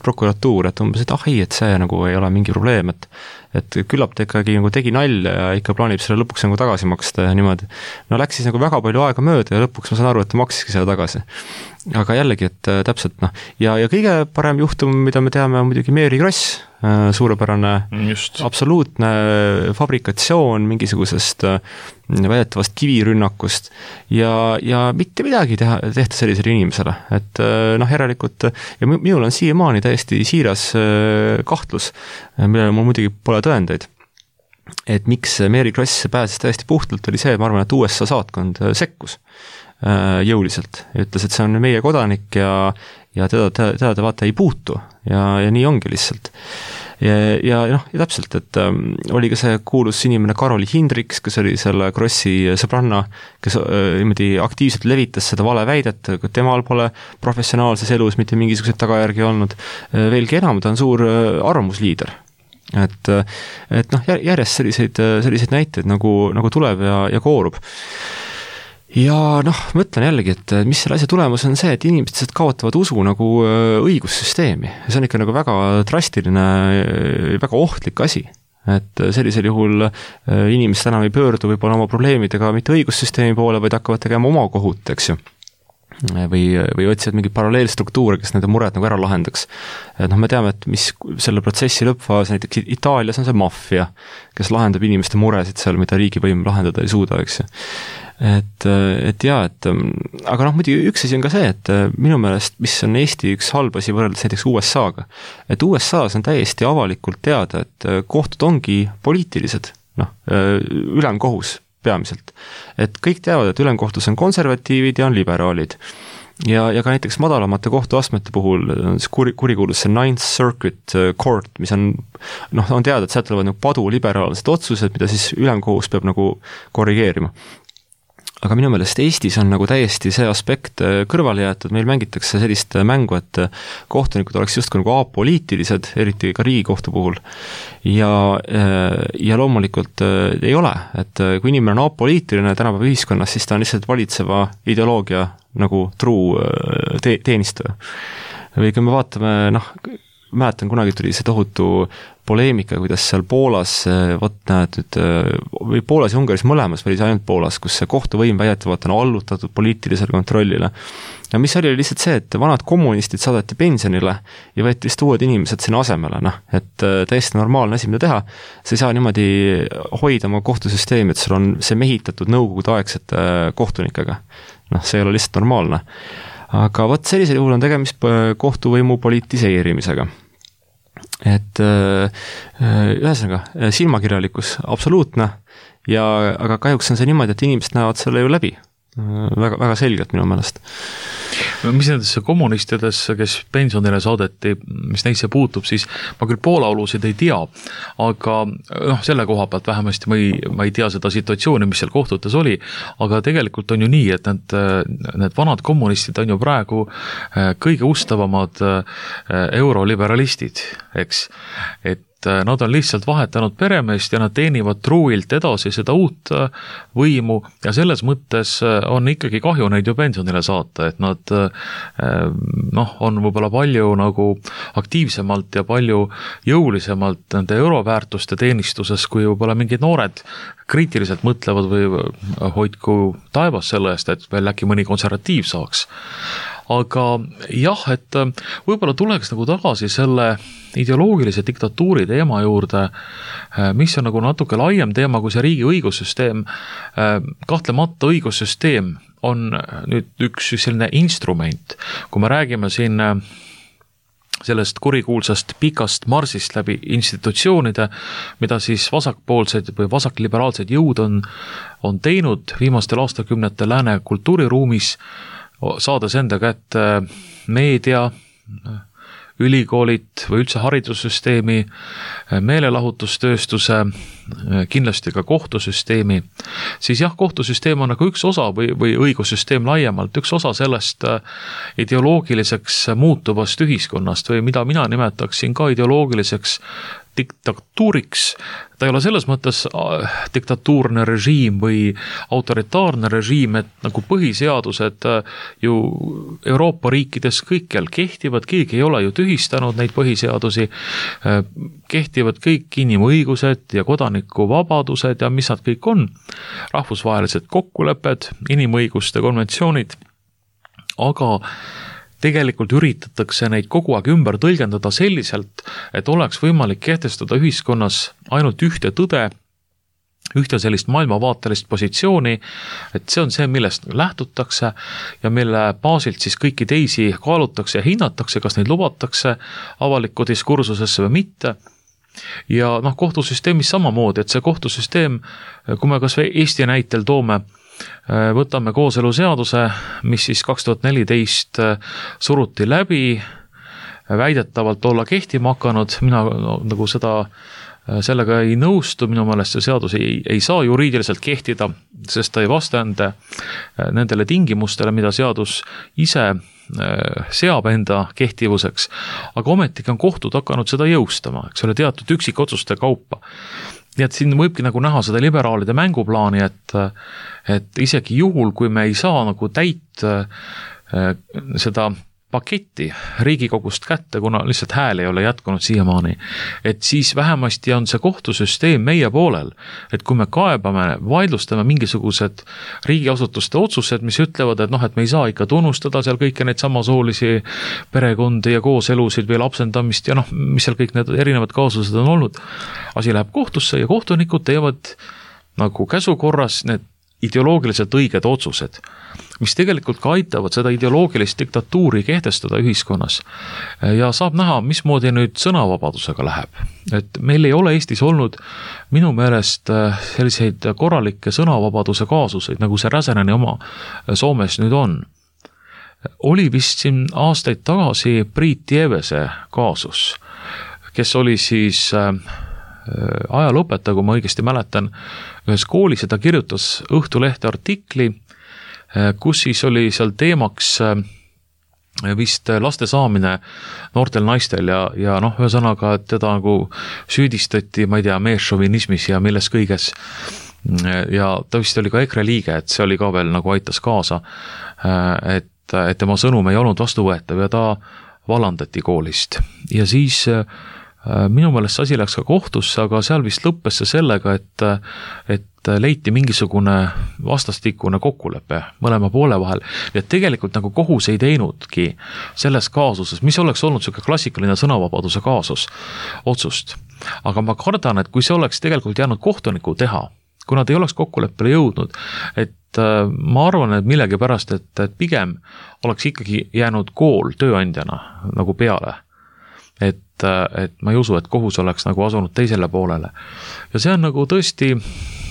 [SPEAKER 2] umbes, et et see nagu ei ole mingi probleem, et küllap ta ikkagi nagu tegi nalja ja ikka plaanib selle lõpuks nagu tagasi maksta ja niimoodi. Läks siis nagu väga palju aega mööda ja lõpuks ma saan aru, et ta maksiski selle tagasi. Aga jällegi, et täpselt ja kõige parem juhtum, mida me teame, on muidugi Mary Kross, suurepärane absoluutne fabrikatsioon mingisugusest väidetavast kivirünnakust ja mitte midagi tehta sellisele inimesele, et järelikult ja minul on siiamaani täiesti siiras kahtlus, millele mul muidugi pole tõendeid, et miks Mary Kross pääses täiesti puhtalt, oli see, ma arvan, et USA saatkond sekkus jõuliselt ja ütles, et see on meie kodanik ja teda vaata ei puutu ja nii ongi lihtsalt. ja täpselt, et oli ka see kuulus inimene Karoli Hindriks, kes oli selle Krossi sõbranna, kes niimoodi aktiivselt levitas seda valeväidet, kui temal pole professionaalses elus mitte mingisuguseid tagajärgi olnud. Veelgi enam, ta on suur arvamusliider. Et järjest selliseid näiteid nagu tuleb ja koorub. Ja mõtlen jällegi, et mis selle asja tulemus on see, et inimesed kaotavad usu nagu õigussüsteemi. See on ikka nagu väga drastiline, väga ohtlik asi. Et sellisel juhul inimesed enam ei pöördu võib-olla oma probleemidega mitte õigussüsteemi poole, vaid hakkavad tegema oma kohut, eks ju. Või otsivad mingi paralleelstruktuure, kes nende mured nagu ära lahendaks. Et me teame, et mis selle protsessi lõppfaas, näiteks Itaalias on see maffia, kes lahendab inimeste muresid seal, mida riigivõim lahendada ei suuda, eks ju. Aga muidugi üks asi on ka see, et minu meelest, mis on Eesti üks halb asi võrreldes näiteks USA-ga, et USA-s on täiesti avalikult teada, et kohtud ongi poliitilised, ülemkohus peamiselt. Et kõik teavad, et ülemkohtus on konservatiivid ja on liberaalid. Ja ka näiteks madalamate kohtuastmete puhul kurikuulus see Ninth Circuit Court, mis on teada, et sealt tulevad nagu paduliberaalsed otsused, mida siis ülemkohus peab nagu korrigeerima. Aga minu meelest Eestis on nagu täiesti see aspekt kõrvale jäetud, meil mängitakse sellist mängu, et kohtunikud oleks justkui nagu apoliitilised, eriti ka Riigikohtu puhul. Ja loomulikult ei ole, et kui inimene on apoliitiline tänapäeva ühiskonnas, siis ta on lihtsalt valitseva ideoloogia nagu truu teenistaja. Või kui me vaatame, mäletan, kunagi tuli see tohutu poleemika, kuidas seal Poolas, või Poolas ja Ungaris mõlemas, või ainult Poolas, kus see kohtuvõim väidetavalt on allutatud poliitilisele kontrollile. Ja mis oli lihtsalt see, et vanad kommunistid saadeti pensionile ja võeti vist uued inimesed sinna asemele, et täiesti normaalne asi, mida teha. See ei saa niimoodi hoida oma kohtusüsteemi, et sul on see mehitatud nõukogude aegsete kohtunikega. See ei ole lihtsalt normaalne. Aga sellisel juhul on tegemist kohtuvõimu politiseerimisega. Et ühesõnaga, silmakirjalikkus absoluutne, aga kahjuks on see niimoodi, et inimesed näevad selle ju läbi. Väga, väga selgelt minu meelest.
[SPEAKER 3] Mis nendesse kommunistidesse, kes pensionile saadeti, mis neisse puutub, siis ma küll Poola olusid ei tea, aga selle koha pealt vähemasti ma ei tea seda situatsiooni, mis seal kohtutes oli, aga tegelikult on ju nii, et need vanad kommunistid on ju praegu kõige ustavamad euroliberalistid, eks, et nad on lihtsalt vahetanud peremeest ja nad teenivad truuilt edasi seda uut võimu ja selles mõttes on ikkagi kahju neid ju pensionile saata, et nad on võib-olla palju nagu aktiivsemalt ja palju jõulisemalt nende euroväärtuste teenistuses, kui võib-olla mingid noored kriitiliselt mõtlevad või hoidku taevas selle eest, et veel äkki mõni konservatiiv saaks. Aga jah, et võib-olla tuleks nagu tagasi selle ideoloogilise diktatuuri teema juurde, mis on nagu natuke laiem teema kui see riigi õigussüsteem. Kahtlemata õigussüsteem on nüüd üks selline instrument, kui me räägime siin sellest kurikuulsast pikast marsist läbi institutsioonide, mida siis vasakpoolsed või vasakliberaalsed jõud on teinud viimastel aastakümnetel lääne kultuuriruumis, saades enda kätte meedia, ülikoolid või üldse haridussüsteemi, meelelahutustööstuse, kindlasti ka kohtusüsteemi, siis jah, kohtusüsteem on nagu üks osa või õigussüsteem laiemalt, üks osa sellest ideoloogiliseks muutuvast ühiskonnast või mida mina nimetaksin ka ideoloogiliseks diktatuuriks. Ta ei ole selles mõttes diktatuurne režiim või autoritaarne režiim, et nagu põhiseadused ju Euroopa riikides kõikjal kehtivad, keegi ei ole ju tühistanud neid põhiseadusi, kehtivad kõik inimõigused ja kodanikuvabadused ja mis nad kõik on, rahvusvahelised kokkulepped, inimõiguste konventsioonid, aga tegelikult üritatakse neid kogu aeg ümber tõlgendada selliselt, et oleks võimalik kehtestada ühiskonnas ainult ühte tõde, ühte sellist maailmavaatelist positsiooni, et see on see, millest lähtutakse ja mille baasilt siis kõiki teisi kaalutakse ja hinnatakse, kas neid lubatakse avalikku diskursusesse või mitte. Ja kohtusüsteemis samamoodi, et see kohtusüsteem, kui me kas või Eesti näitel toome, võtame kooseluseaduse, mis siis 2014 suruti läbi, väidetavalt olla kehtima hakanud, mina nagu sellega ei nõustu, minu meelest see seadus ei saa juriidiliselt kehtida, sest ta ei vasta nendele tingimustele, mida seadus ise seab enda kehtivuseks, aga ometigi on kohtud hakanud seda jõustama, eks ole, teatud üksikotsuste kaupa. Nii et siin võibki nagu näha seda liberaalide mänguplaani, et isegi juhul, kui me ei saa nagu täit seda paketti Riigikogust kätte, kuna lihtsalt hääl ei ole jätkunud siiamaani, et siis vähemasti on see kohtusüsteem meie poolel, et kui me kaebame, vaidlustame mingisugused riigiasutuste otsused, mis ütlevad, et et me ei saa ikka tunnustada seal kõike neid samasoolisi perekondi ja kooselusid või lapsendamist ja mis seal kõik need erinevad kaasused on olnud, asi läheb kohtusse ja kohtunikud teevad nagu käsukorras need ideoloogiliselt õiged otsused, mis tegelikult ka aitavad seda ideoloogilist diktatuuri kehtestada ühiskonnas. Ja saab näha, mismoodi nüüd sõnavabadusega läheb. Et meil ei ole Eestis olnud minu meelest selliseid korralikke sõnavabaduse kaasuseid, nagu see Räsäneni oma Soomes nüüd on. Oli vist siin aastaid tagasi Priit Tievese kaasus, kes oli siis ajalooõpetaja, kui ma õigesti mäletan, ühes koolis ja ta kirjutas Õhtulehte artikli, kus siis oli seal teemaks vist laste saamine noortel naistel ja ühesõnaga, et teda nagu süüdistati, ma ei tea, meesšovinismis ja milles kõiges. Ja ta vist oli ka EKRE liige, et see oli ka veel nagu aitas kaasa, et tema sõnum ei olnud vastuvõetav ja ta vallandati koolist. Ja siis minu meelest see asi läks ka kohtusse, aga seal vist lõppes see sellega, et leiti mingisugune vastastikune kokkulepe mõlema poole vahel. Ja tegelikult nagu kohus ei teinudki selles kaasuses, mis oleks olnud selline klassikaline sõnavabaduse kaasus otsust. Aga ma kardan, et kui see oleks tegelikult jäänud kohtuniku teha, kui nad ei oleks kokkuleppele jõudnud, et ma arvan, et millegi pärast, et pigem oleks ikkagi jäänud kool tööandjana nagu peale. Et ma ei usu, et kohus oleks nagu asunud teisele poolele. Ja see on nagu tõesti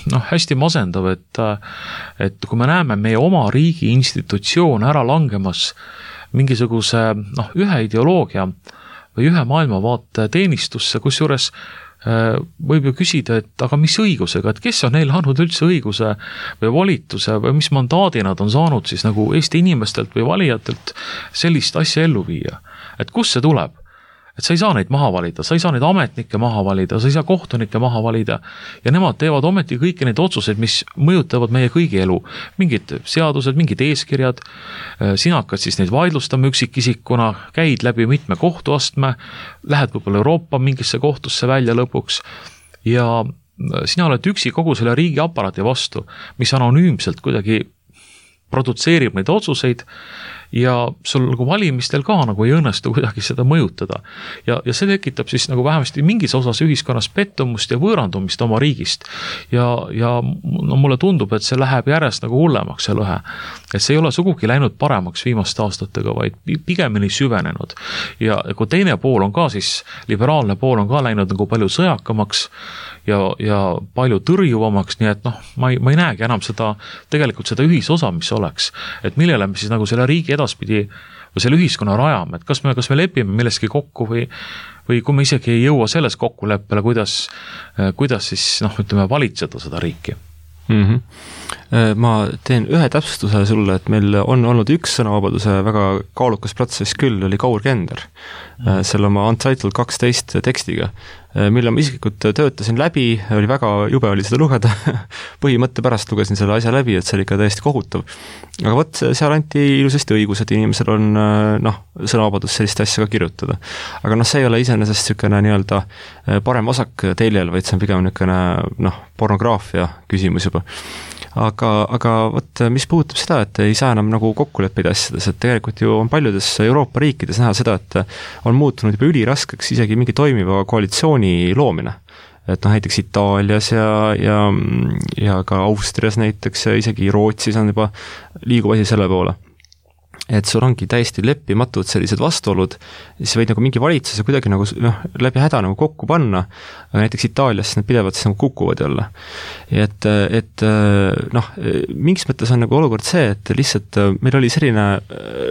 [SPEAKER 3] hästi masendav, et kui me näeme meie oma riigi institutsioon ära langemas mingisuguse ühe ideoloogia või ühe maailmavaate teenistusse, kusjuures võib ju küsida, et aga mis õigusega, et kes on neile andnud üldse õiguse või volituse või mis mandaadi nad on saanud siis nagu Eesti inimestelt või valijatelt sellist asja ellu viia. Et kus see tuleb? Et sa ei saa neid maha valida, sa ei saa neid ametnikke maha valida, sa ei saa kohtunikke maha valida ja nemad teevad ometi kõiki neid otsuseid, mis mõjutavad meie kõigi elu. Mingid seadused, mingid eeskirjad, sina hakkad siis neid vaidlustama üksikisikuna, käid läbi mitme kohtuastme, lähed võib-olla Euroopa mingisse kohtusse välja lõpuks ja sina oled üksi kogu selle riigi aparaati vastu, mis anonüümselt kuidagi produtseerib neid otsuseid ja sul nagu valimistel ka nagu ei õnnestu kuidagi seda mõjutada. Ja see tekitab siis nagu vähemasti mingis osas ühiskonnas pettumust ja võõrandumist oma riigist. Ja mulle tundub, et see läheb järjest nagu hullemaks see lõhe. Et see ei ole sugugi läinud paremaks viimaste aastatega, vaid pigemini süvenenud. Ja kui teine pool on ka siis, liberaalne pool on ka läinud nagu palju sõjakamaks ja palju tõrjuvamaks, nii et ma ei näegi enam tegelikult seda ühisosa, mis oleks. Et millele me siis nagu selle riigi edaspidi või selle ühiskonna rajame, et kas me lepime milleski kokku või kui me isegi ei jõua selles kokkuleppele, kuidas siis valitseda seda riiki.
[SPEAKER 2] Ma teen ühe täpsustuse sulle, et meil on olnud üks sõnavabaduse väga kaalukas protsess küll, oli Kaur Kender selle oma Untitled 12 tekstiga, mille ma isiklikult töötasin läbi, oli väga jube oli seda lugeda, põhimõtte pärast lugesin selle asja läbi, et see oli ikka täiesti kohutav. Aga võt, seal anti ilusasti õigus, et inimesel on sõnavabadus sellist asja ka kirjutada. Aga see ei ole iseenesest niisugune nii-öelda parem vasak teljel, vaid see on pigem niisugune pornograafia küsimus juba. Aga võt, mis puudutab seda, et ei saa enam nagu kokkuleppeid asjades, et tegelikult ju on paljudes Euroopa riikides näha seda, et on muutunud juba üliraskeks isegi mingi toimiva koalitsiooni loomine. Et näiteks Itaalias ja ka Austrias näiteks ja isegi Rootsis on juba liigub asi selle poole. Et sul ongi täiesti leppimatud sellised vastuolud, siis võid nagu mingi valitsuse kuidagi nagu läbi häda nagu kokku panna, aga näiteks Itaalias need pidevalt siis nagu kukuvad jälle. Et mingis mõttes on nagu olukord see, et lihtsalt meil oli selline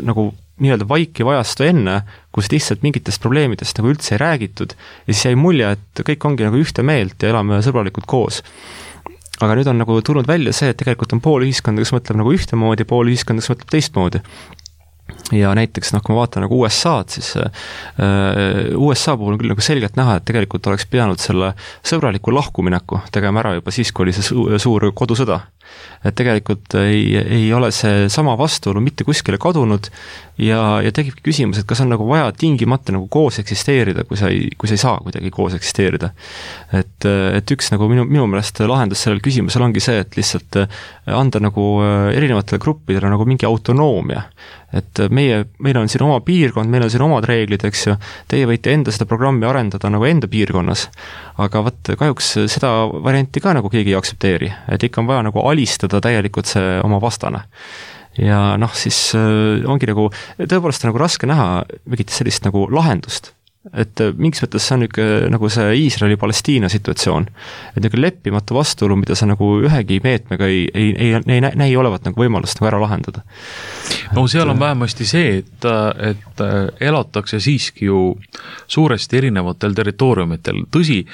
[SPEAKER 2] nagu nii-öelda vaikiv ajastu enne, kus lihtsalt mingitest probleemidest nagu üldse ei räägitud ja siis jäi mulje, et kõik ongi nagu ühte meelt ja elame sõbralikult koos. Aga nüüd on nagu tulnud välja see, et tegelikult on pool ühiskonda, kes mõtleb nagu ühtemoodi, pool ühiskonda, kes mõtleb teistmoodi. Ja näiteks, kui ma vaatan nagu USA-d, siis USA puhul on küll nagu selgelt näha, et tegelikult oleks pidanud selle sõbraliku lahkumineku tegema ära juba siis, kui oli see suur kodusõda. Et tegelikult ei ole see sama vastuolu mitte kuskile kadunud ja tekibki küsimus, et kas on nagu vaja tingimata nagu koos eksisteerida, kui sa ei saa kuidagi koos eksisteerida. Et üks nagu minu meelest lahendus sellel küsimusel ongi see, et lihtsalt anda nagu erinevatele gruppidele nagu mingi autonoomia. Et meil on siin oma piirkond, meil on siin omad reeglid, eks ju, teie võite enda seda programmi arendada nagu enda piirkonnas, aga kahjuks seda varianti ka nagu keegi ei aktsepteeri, et ikka on vaja nagu alistada täielikult see oma vastane. Ja siis ongi nagu, tõepoolest on nagu raske näha mingit sellist nagu lahendust. Et mingis mõttes see on nagu see Iisraeli-Palestiina situatsioon. Et nagu leppimatu vastuolu, mida sa nagu ühegi meetmega ei näi olevat nagu võimalust nagu ära lahendada.
[SPEAKER 3] No seal on vähemasti see, et elatakse siiski ju suuresti erinevatel territooriumitel. Tõsi,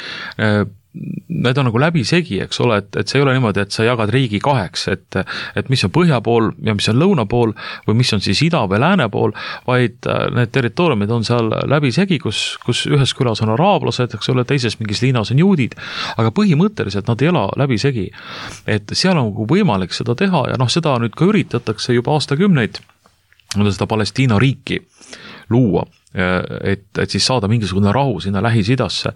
[SPEAKER 3] need on nagu läbisegi, eks ole, et see ei ole niimoodi, et sa jagad riigi kaheks, et mis on põhja pool ja mis on lõuna pool või mis on siis ida või lääne pool, vaid need territooriumid on seal läbisegi, kus ühes külas on araablased, eks ole, teises mingis liinas on juudid, aga põhimõtteliselt nad ei ela läbisegi. Et seal on võimalik seda teha ja seda nüüd ka üritatakse juba aastakümneid, seda Palestiina riiki luua, et siis saada mingisugune rahu sinna Lähis-Idasse.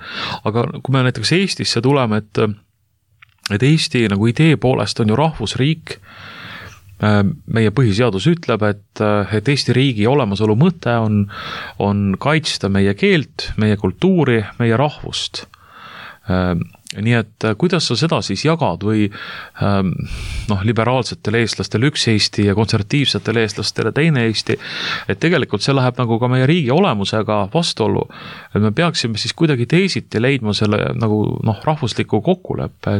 [SPEAKER 3] Aga kui me näiteks Eestisse tuleme, et Eesti nagu idee poolest on ju rahvusriik, meie põhiseadus ütleb, et Eesti riigi olemasolu mõte on kaitsta meie keelt, meie kultuuri, meie rahvust. Nii et kuidas sa seda siis jagad või liberaalsetele eestlastele üks Eesti ja konservatiivsetele eestlastele teine Eesti, et tegelikult see läheb nagu ka meie riigi olemusega vastuollu, et me peaksime siis kuidagi teisiti leidma selle nagu rahvusliku kokkuleppe,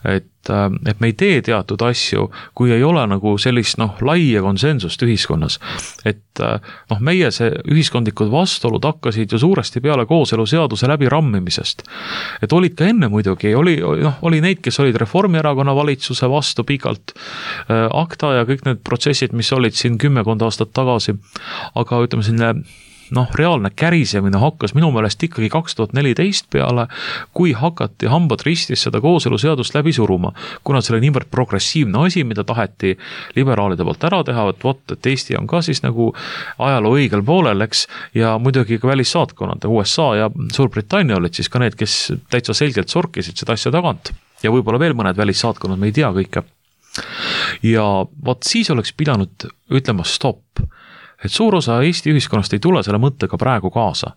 [SPEAKER 3] et me ei tee teatud asju, kui ei ole nagu sellist laia konsensust ühiskonnas. Et meie see ühiskondlikud vastuolud hakkasid ju suuresti peale kooseluseaduse läbirammimisest. Et olid ka enne muidugi, oli neid, kes olid Reformierakonna valitsuse vastu pikalt, akta ja kõik need protsessid, mis olid siin 10 aastat tagasi, aga ütleme selline reaalne kärisemine hakkas minu meelest ikkagi 2014 peale, kui hakati hambad ristis seda kooseluseadust läbi suruma, kuna see oli niivõrd progressiivne asi, mida taheti liberaalide poolt ära teha, et Eesti on ka siis nagu ajaloo õigel poolel, eks, ja muidugi ka välissaatkonnad, USA ja Suurbritannia olid siis ka need, kes täitsa selgelt sorkisid seda asja tagant ja võib-olla veel mõned välissaatkonnad, me ei tea kõike. Ja siis oleks pidanud ütlema stopp. Et suur osa Eesti ühiskonnast ei tule selle mõttega praegu kaasa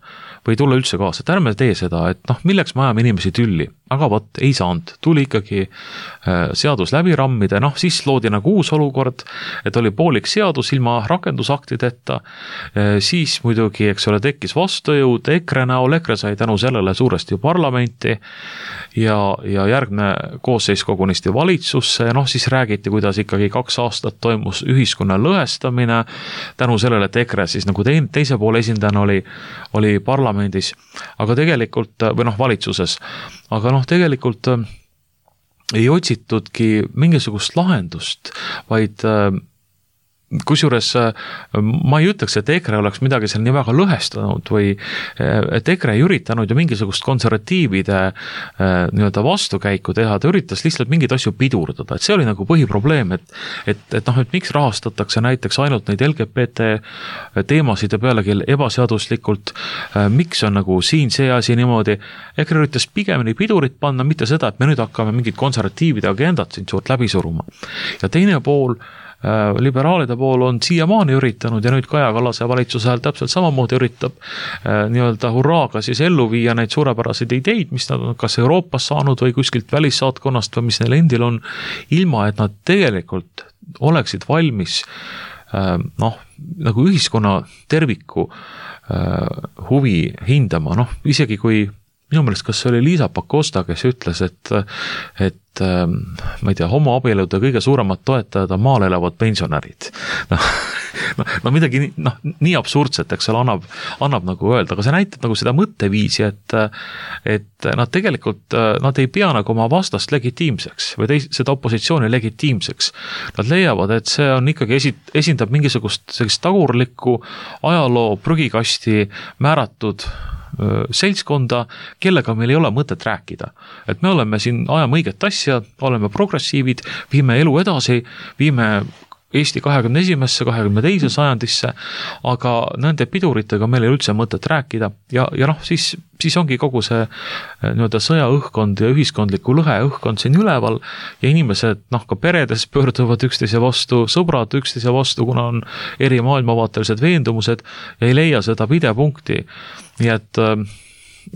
[SPEAKER 3] või ei tule üldse kaasa, et ärme tee seda, et milleks me ajame inimesi tülli, aga ei saanud, tuli ikkagi seadus läbi rammida, siis loodi nagu uus olukord, et oli poolik seadus ilma rakendusaktideta, siis muidugi, eks ole, tekkis vastujõud EKRE näol, EKRE sai tänu sellele suuresti parlamenti ja järgne koosseis kogunisti valitsusse ja siis räägiti, kuidas ikkagi 2 aastat toimus ühiskonna lõhestamine, tänu sellele, et EKRE siis nagu teise poole esindajana oli parlamendis, aga tegelikult, või valitsuses, aga tegelikult ei otsitudki mingisugust lahendust, vaid kusjuures ma ei ütleks, et EKRE oleks midagi seal nii väga lõhestanud või et EKRE ei üritanud ju mingisugust konservatiivide nii-öelda vastukäiku teha, ta üritas lihtsalt mingeid asju pidurdada, et see oli nagu põhiprobleem, et miks rahastatakse näiteks ainult neid LGBT teemasid ja pealegi ebaseaduslikult, miks on nagu siin see asi niimoodi, EKRE üritas pigemini pidurit panna, mitte seda, et me nüüd hakkame mingid konservatiivide agendat siin suurt läbi suruma. Ja teine pool, liberaalide pool on siiamaani üritanud ja nüüd Kaja Kallase valitsuse ajal täpselt samamoodi üritab nii-öelda hurraaga siis ellu viia neid suurepäraseid ideid, mis nad on kas Euroopas saanud või kuskilt välissaatkonnast või mis neil endil on, ilma et nad tegelikult oleksid valmis nagu ühiskonna terviku huvi hindama, isegi kui minu meelest, kas see oli Liisa Pakosta, kes ütles, et ma ei tea, homoabielude kõige suuremad toetajad on maal elavad pensionärid. no midagi nii absurdset, eks ole, annab nagu öelda, aga see näitab nagu seda mõtteviisi, et nad tegelikult, nad ei pea nagu oma vastast legitiimseks või seda opositsiooni legitiimseks. Nad leiavad, et see on ikkagi esindab mingisugust sellist tagurlikku ajaloo prügikasti määratud seltskonda, kellega meil ei ole mõtet rääkida. Et me oleme siin, ajame õiget asja, oleme progressiivid, viime elu edasi, viime Eesti 21. 22. sajandisse, aga nende piduritega meil ei üldse mõtet rääkida ja siis ongi kogu see sõjaõhkkond ja ühiskondliku lõhe õhkkond siin üleval ja inimesed ka peredes pöörduvad üksteise vastu, sõbrad üksteise vastu, kuna on eri maailmavaatelised veendumused ja ei leia seda pidepunkti. Nii et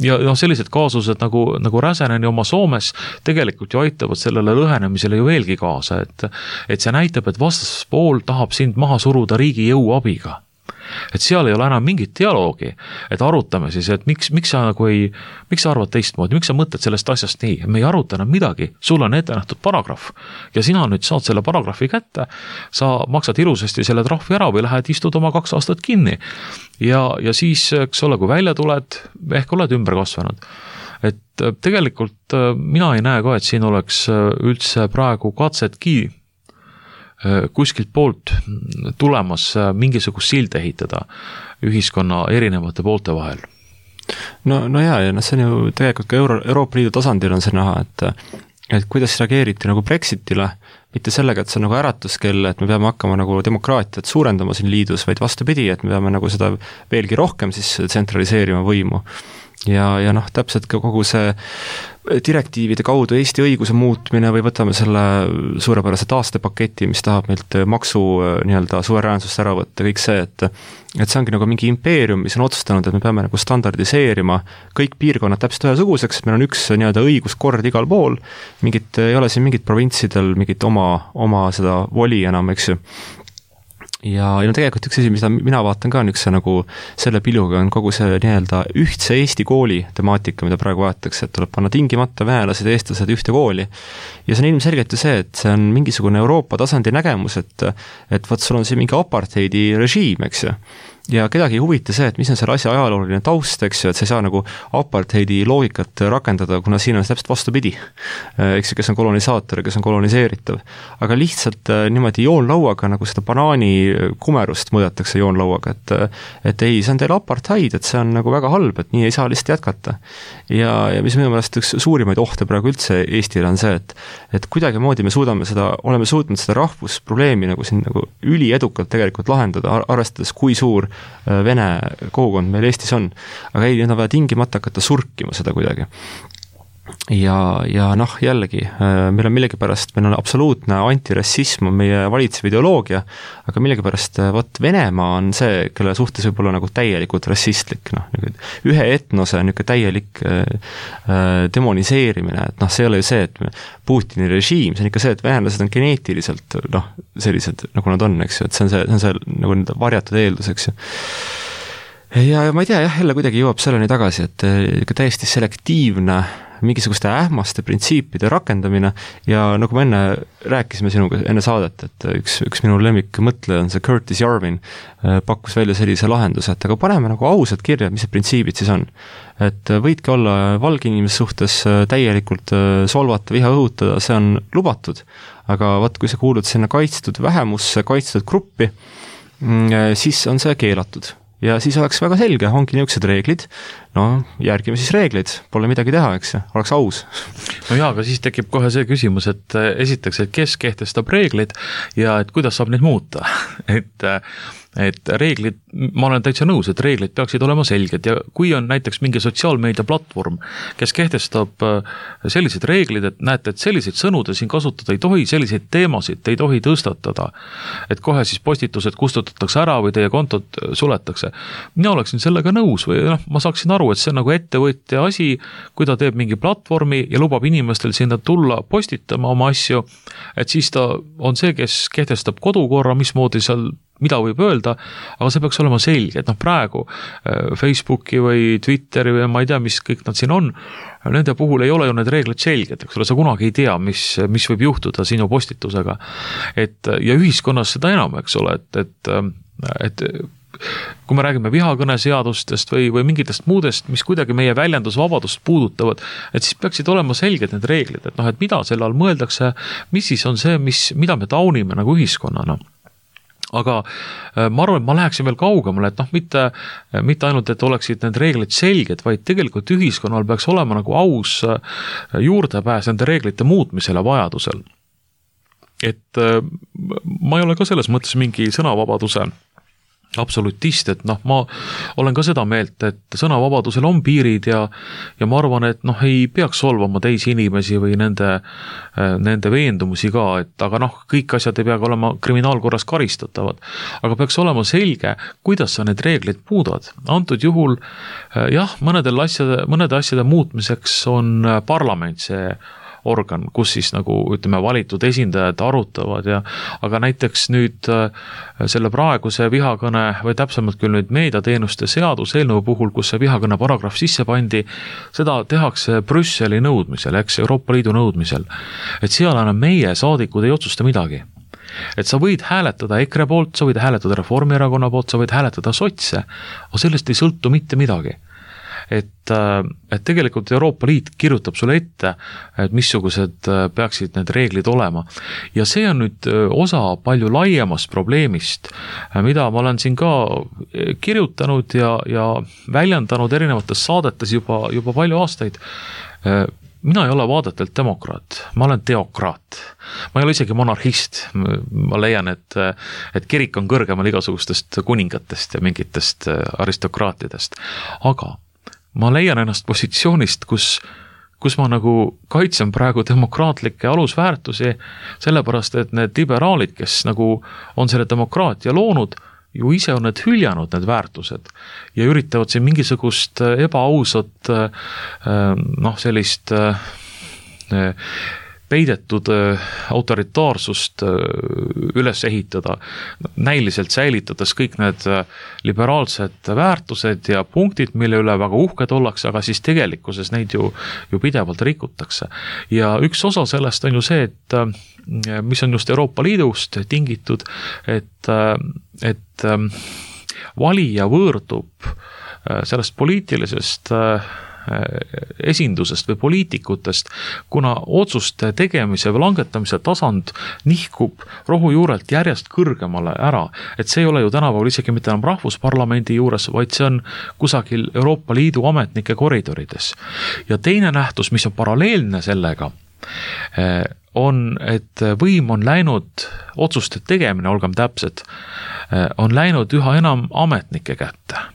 [SPEAKER 3] ja sellised kaasused nagu Räsäneni oma Soomes tegelikult ju aitavad sellele lõhenemisele ju veelgi kaasa, et see näitab, et vastaspool tahab sind maha suruda riigi jõuabiga. Et seal ei ole enam mingit dialoogi, et arutame siis, et miks sa arvad teistmoodi, miks sa mõtled sellest asjast nii, me ei aruta enam midagi, sul on ette nähtud paragrahv ja sina nüüd saad selle paragrahvi kätte, sa maksad ilusasti selle trahvi ära või lähed istud oma 2 aastat kinni ja siis, eks ole, kui välja tuled, ehk oled ümber kasvanud. Et tegelikult mina ei näe ka, et siin oleks üldse praegu katsetki kuskilt poolt tulemas mingisugust silde ehitada ühiskonna erinevate poolte vahel.
[SPEAKER 2] No jaa, ja see on ju tegelikult ka Euroopa Liidu tasandil on see näha, et kuidas reageeriti nagu Brexitile, mitte sellega, et see on nagu äratuskell, et me peame hakkama nagu demokraatiat suurendama siin liidus, vaid vastupidi, et me peame nagu seda veelgi rohkem siis tsentraliseerima võimu. Ja täpselt ka kogu see direktiivide kaudu Eesti õiguse muutmine või võtame selle suurepärase taastepaketi, mis tahab meilt maksu suveräänsust ära võtta, kõik see, et see ongi nagu mingi impeerium, mis on otsustanud, et me peame nagu standardiseerima kõik piirkonnad täpselt ühesuguseks, meil on üks õiguskord igal pool, ei ole siin mingit provintsidel mingit oma seda voli enam, eks ju. Ja tegelikult üks asi, mida mina vaatan ka üks nagu selle piluga on kogu see ühtse Eesti kooli temaatika, mida praegu vaadatakse, et tuleb panna tingimata venelased ja eestlased ühte kooli. Ja see on ilmselgelt ju see, et see on mingisugune Euroopa tasandi nägemus, et võt sul on see mingi apartheidi režiim, eks ju. Ja kedagi ei huvita see, et mis on selle asja ajalooline taust, eks ju, et sa ei saa nagu apartheidi loogikat rakendada, kuna siin on täpselt vastupidi. Eks ju, kes on kolonisaator ja kes on koloniseeritav. Aga lihtsalt niimoodi joonlauaga nagu seda banaani kumerust mõõdetakse joonlauaga, et ei, see on teil apartheid, et see on nagu väga halb, et nii ei saa lihtsalt jätkata. Ja mis minu meelest üks suurimaid ohte praegu üldse Eestile on see, et kuidagimoodi me oleme suutnud seda rahvusprobleemi nagu siin nagu üliedukalt tegelikult lahendada, arvestades kui suur vene kogukond meil Eestis on, aga ei, need on vaja tingimata hakata surkima seda kuidagi. Ja jällegi, meil on absoluutne antirassism on meie valitsev ideoloogia, aga millegipärast Venemaa on see, kelle suhtes võib olla nagu täielikult rassistlik, ühe etnose täielik demoniseerimine, et see ei ole ju see, et Putini režiim, see on ikka see, et venelased on geneetiliselt sellised, nagu nad on, eks ju, et see on see nagu varjatud eeldus, eks ju. Ja ma ei tea, jälle kuidagi jõuab selleni tagasi, et ikka täiesti selektiivne mingisuguste ähmaste printsiipide rakendamine ja nagu me enne rääkisime sinuga enne saadet, et üks minu lemmik mõtleja on see Curtis Yarvin, pakkus välja sellise lahenduse, et aga paneme nagu ausalt kirja, mis see printsiibid siis on. Et võidki olla valge inimese suhtes täielikult solvata, viha õhutada, see on lubatud, aga kui sa kuulud sinna kaitstud vähemusse, kaitstud gruppi, siis on see keelatud. Ja siis oleks väga selge, ongi niisugused reeglid, järgime siis reeglid, pole midagi teha, eks, oleks aus.
[SPEAKER 3] No jaa, aga siis tekib kohe see küsimus, et esiteks, et kes kehtestab reeglid ja et kuidas saab neid muuta, et reeglid, ma olen täitsa nõus, et reeglid peaksid olema selged ja kui on näiteks mingi sotsiaalmeedia platvorm, kes kehtestab sellised reeglid, et näete, et selliseid sõnu te siin kasutada ei tohi, selliseid teemasid ei tohi tõstatada, et kohe siis postitused kustutatakse ära või teie kontod suletakse. Mina oleksin sellega nõus või ma saaksin aru, et see on nagu ettevõtja asi, kui ta teeb mingi platvormi ja lubab inimestel sinna tulla postitama oma asju, et siis ta on see, kes kehtestab kodukorra, mismoodi seal mida võib öelda, aga see peaks olema selge, et praegu Facebooki või Twitteri või ma ei tea, mis kõik nad siin on, nende puhul ei ole ju need reeglid selged, eks ole, sa kunagi ei tea, mis võib juhtuda sinu postitusega. Ja ühiskonnas seda enam, eks ole, et et kui me räägime vihakõneseadustest või mingitest muudest, mis kuidagi meie väljendusvabadust puudutavad, et siis peaksid olema selged need reeglid, et et mida selle all mõeldakse, mis siis on see, mida me taunime nagu ühiskonnana. Aga ma arvan, et ma läheksin veel kaugemale, et mitte ainult, et oleksid need reeglid selged, vaid tegelikult ühiskonnal peaks olema nagu aus juurdepääs nende reeglite muutmisele vajadusel. Et ma ei ole ka selles mõttes mingi sõnavabaduse absolutist, et ma olen ka seda meelt, et sõnavabadusel on piirid ja ma arvan, et ei peaks solvama teisi inimesi või nende veendumusi ka, et aga kõik asjad ei peagi olema kriminaalkorras karistatavad, aga peaks olema selge, kuidas sa need reeglid muudad. Antud juhul mõnede asjade muutmiseks on parlament see organ, kus siis valitud esindajad arutavad aga näiteks nüüd selle praeguse vihakõne või täpsemalt küll nüüd meediateenuste seaduseelnõu puhul, kus see vihakõne paragrahv sisse pandi, seda tehakse Brüsseli nõudmisel, Euroopa Liidu nõudmisel. Et seal enam meie saadikud ei otsusta midagi. Et sa võid hääletada EKRE poolt, sa võid hääletada Reformierakonna poolt, sa võid hääletada sotse, aga sellest ei sõltu mitte midagi. Et tegelikult Euroopa Liit kirjutab sulle ette, et missugused peaksid need reeglid olema. Ja see on nüüd osa palju laiemast probleemist, mida ma olen siin ka kirjutanud ja väljendanud erinevates saadetes juba palju aastaid. Mina ei ole vaadetelt demokraat, ma olen teokraat. Ma ei ole isegi monarhist. Ma leian, et kirik on kõrgemal igasugustest kuningatest ja mingitest aristokraatidest. Aga ma leian ennast positsioonist, kus ma kaitsen praegu demokraatlikke alusväärtusi, sellepärast, et need liberaalid, kes on selle demokraatia loonud, ju ise on need hüljanud need väärtused ja üritavad siin mingisugust ebaausat sellist peidetud autoritaarsust üles ehitada, näiliselt säilitades kõik need liberaalsed väärtused ja punktid, mille üle väga uhked ollakse, aga siis tegelikkuses neid ju pidevalt rikutakse. Ja üks osa sellest on ju see, et mis on just Euroopa Liidust tingitud, et valija võõrdub sellest poliitilisest esindusest või poliitikutest, kuna otsuste tegemise või langetamise tasand nihkub rohujuurelt järjest kõrgemale ära. Et see ei ole ju tänapäeval isegi mitte enam rahvusparlamendi juures, vaid see on kusagil Euroopa Liidu ametnike koridorides. Ja teine nähtus, mis on paralleelne sellega, on, et võim on läinud, otsuste tegemine, olgem täpsed, on läinud üha enam ametnike kätte.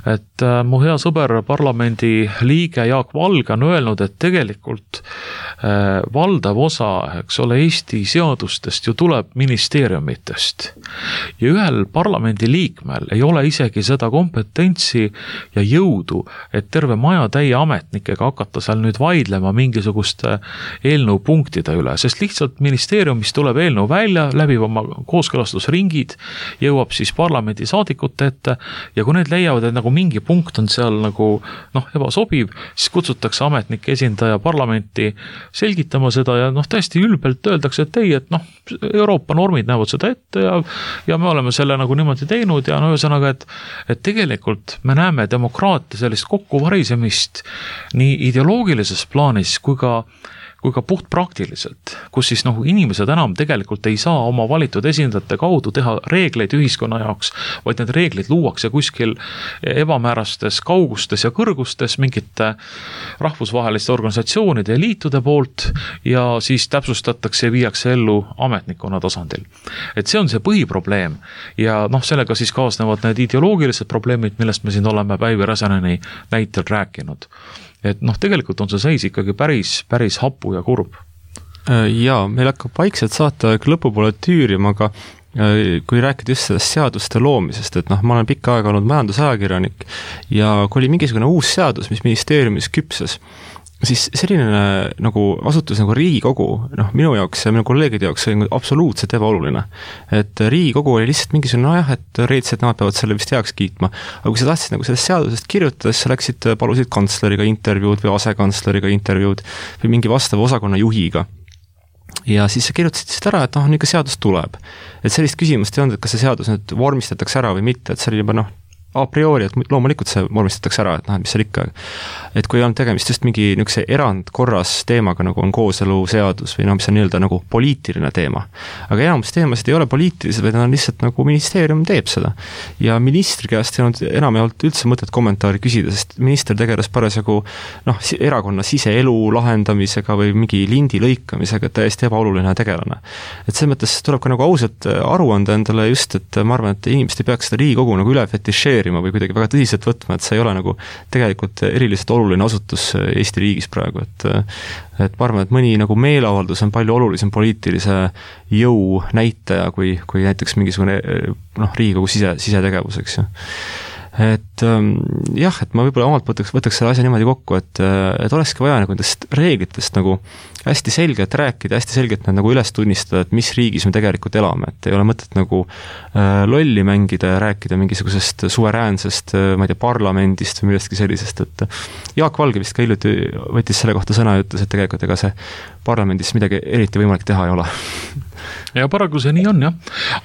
[SPEAKER 3] Et mu hea sõber parlamendi liige Jaak Valge on öelnud, et tegelikult valdav osa, Eesti seadustest ju tuleb ministeeriumitest. Ja ühel parlamendi liikmel ei ole isegi seda kompetentsi ja jõudu, et terve maja täie ametnikega hakata seal nüüd vaidlema mingisuguste eelnõu punktide üle, sest lihtsalt ministeeriumis tuleb eelnõu välja, läbib oma kooskõlastusringid, jõuab siis parlamendi saadikute ette ja kui need leiavad, et mingi punkt on seal ebasobiv, siis kutsutakse ametnike esindaja parlamenti selgitama seda ja täiesti ülbelt öeldakse, et ei, et Euroopa normid näevad seda ette ja me oleme selle niimoodi teinud ja ühesõnaga, et tegelikult me näeme demokraatia sellist kokkuvarisemist nii ideoloogilises plaanis kui ka puht praktiliselt, kus siis inimesed enam tegelikult ei saa oma valitud esindajate kaudu teha reegleid ühiskonna jaoks, vaid need reeglid luuakse kuskil ebamäärastes kaugustes ja kõrgustes mingite rahvusvaheliste organisatsioonide ja liitude poolt ja siis täpsustatakse ja viiakse ellu ametnikkonna tasandil. Et see on see põhiprobleem ja sellega siis kaasnevad need ideoloogilised probleemid, millest me siin oleme Päivi Räsäneni näitel rääkinud. Et tegelikult on see seis ikkagi päris hapu ja kurb.
[SPEAKER 2] Jaa, meil hakkab vaikselt saata lõpupoole tüürima, aga kui rääkida just sellest seaduste loomisest, et ma olen pikka aega olnud majandusajakirjanik ja kui oli mingisugune uus seadus, mis ministeeriumis küpses, siis selline asutus Riigikogu, minu jaoks ja minu kolleegide jaoks oli absoluutselt ebaoluline. Et Riigikogu oli lihtsalt mingisugune et reedselt nemad peavad selle vist heaks kiitma. Aga kui sa tahtsid sellest seadusest kirjutada, siis sa läksid, palusid kantsleriga intervjuud või asekantsleriga intervjuud või mingi vastava osakonna juhiga. ja siis kirjutasid ära, et ikka seadus tuleb. Et sellist küsimust ei olnud, et kas see seadus nüüd vormistatakse ära või mitte, et see oli juba a priori, et loomulikult see vormistatakse ära, et mis seal ikka. Et kui on tegemist just mingi niisuguse erandkorras teemaga, nagu on kooseluseadus või mis on nii-öelda nagu poliitiline teema. Aga enamus teemasid ei ole poliitilised, vaid on lihtsalt nagu ministeerium teeb seda. Ja ministri käest ei olnud enam ei olnud üldse mõtet kommentaari küsida, sest minister tegeles parasjagu erakonna siseelu lahendamisega või mingi lindi lõikamisega, täiesti ebaoluline tegelane. Et see mõttes tuleb ka nagu ausalt aru anda endale just, et ma arvan, et inimesed ei peaks seda Riigikogu nagu üle fetišeerima või kuidagi väga tõsiselt võtma, et see ei ole nagu tegelikult eriliselt oluline asutus Eesti riigis praegu, et ma arvan, et mõni nagu meeleavaldus on palju olulisem poliitilise jõu näitaja kui näiteks mingisugune Riigikogu sisetegevus, eks ju. Et jah, et ma võib-olla omalt võtaks selle asja niimoodi kokku, et olekski vaja nagu nendest reeglitest nagu hästi selgelt rääkida, hästi selgelt nad nagu üles tunnistada, et mis riigis me tegelikult elame, et ei ole mõtet nagu lolli mängida ja rääkida mingisugusest suveräänsest, ma ei tea, parlamendist või millestki sellisest, et Jaak Valge vist ka hiljuti võttis selle kohta sõna ja ütles, et tegelikult ega see parlamendis midagi eriti võimalik teha ei ole.
[SPEAKER 3] Ja paraku see nii on, jah.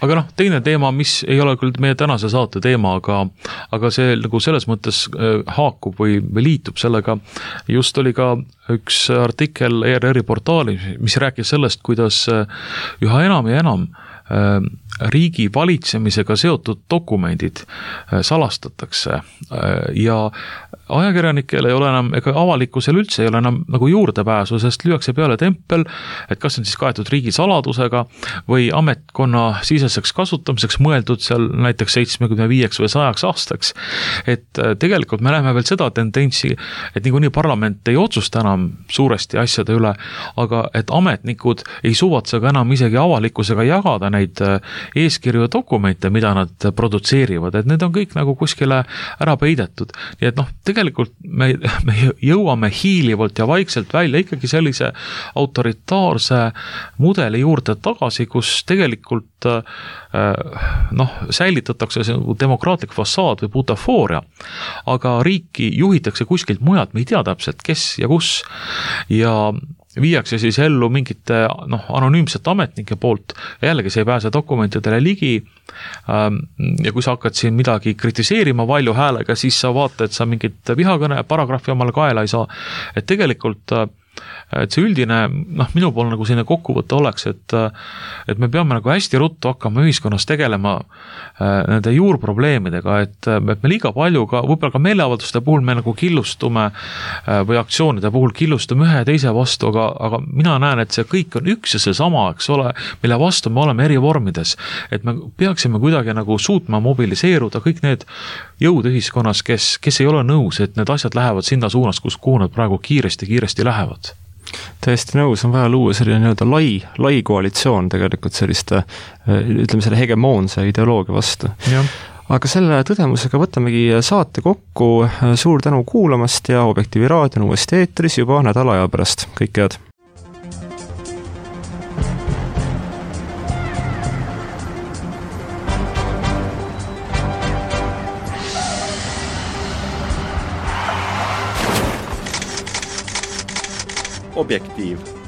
[SPEAKER 3] Aga teine teema, mis ei ole küll meie tänase saate teema, aga see nagu selles mõttes haakub või liitub sellega, just oli ka üks artikkel ERR-i portaali, mis rääkis sellest, kuidas üha enam ja enam riigi valitsemisega seotud dokumendid salastatakse ja ajakirjanikel ei ole enam, ega avalikkusel üldse ei ole enam nagu juurdepääsu, sest lüüakse peale tempel, et kas on siis kaetud riigi saladusega või ametkonna siseseks kasutamiseks mõeldud seal näiteks 75 või 100 aastaks. Et tegelikult me näeme veel seda tendentsi, et niikuinii parlament ei otsusta enam suuresti asjade üle, aga et ametnikud ei suvatse ka enam isegi avalikkusega jagada neid eeskirju ja dokumente, mida nad produtseerivad, et need on kõik nagu kuskile ära peidetud. Nii et tegelikult me jõuame hiilivalt ja vaikselt välja ikkagi sellise autoritaarse mudeli juurde tagasi, kus tegelikult säilitatakse see demokraatlik fassaad või butafooria, aga riiki juhitakse kuskilt mujalt, me ei tea täpselt, kes ja kus ja viiakse siis ellu mingite anonüümsete ametnike poolt ja jällegi see ei pääse dokumentidele ligi ja kui sa hakkad siin midagi kritiseerima valju häälega, siis sa vaata, et sa mingit vihakõne paragrahvi omale kaela ei saa, et tegelikult et see üldine, minu pool nagu selline kokkuvõte oleks, et me peame nagu hästi ruttu hakkama ühiskonnas tegelema nende juurprobleemidega, et me liiga palju ka, võib-olla ka meeleavalduste puhul me nagu killustume või aktsioonide puhul killustume ühe ja teise vastu, aga mina näen, et see kõik on üks ja see sama, eks ole, mille vastu me oleme eri vormides, et me peaksime kuidagi nagu suutma mobiliseeruda kõik need jõud ühiskonnas, kes ei ole nõus, et need asjad lähevad sinna suunas, kuhu nad praegu kiiresti lähevad.
[SPEAKER 2] Täiesti nõus, on vaja luua selline nii-öelda lai koalitsioon tegelikult selliste, ütleme selle hegemoonse ideoloogia vastu. Ja. Aga selle tõdemusega võtamegi saate kokku, suur tänu kuulamast ja Objektiivi raadio on uuesti eetris juba nädala aja pärast. Kõik head!
[SPEAKER 1] Objektiiv.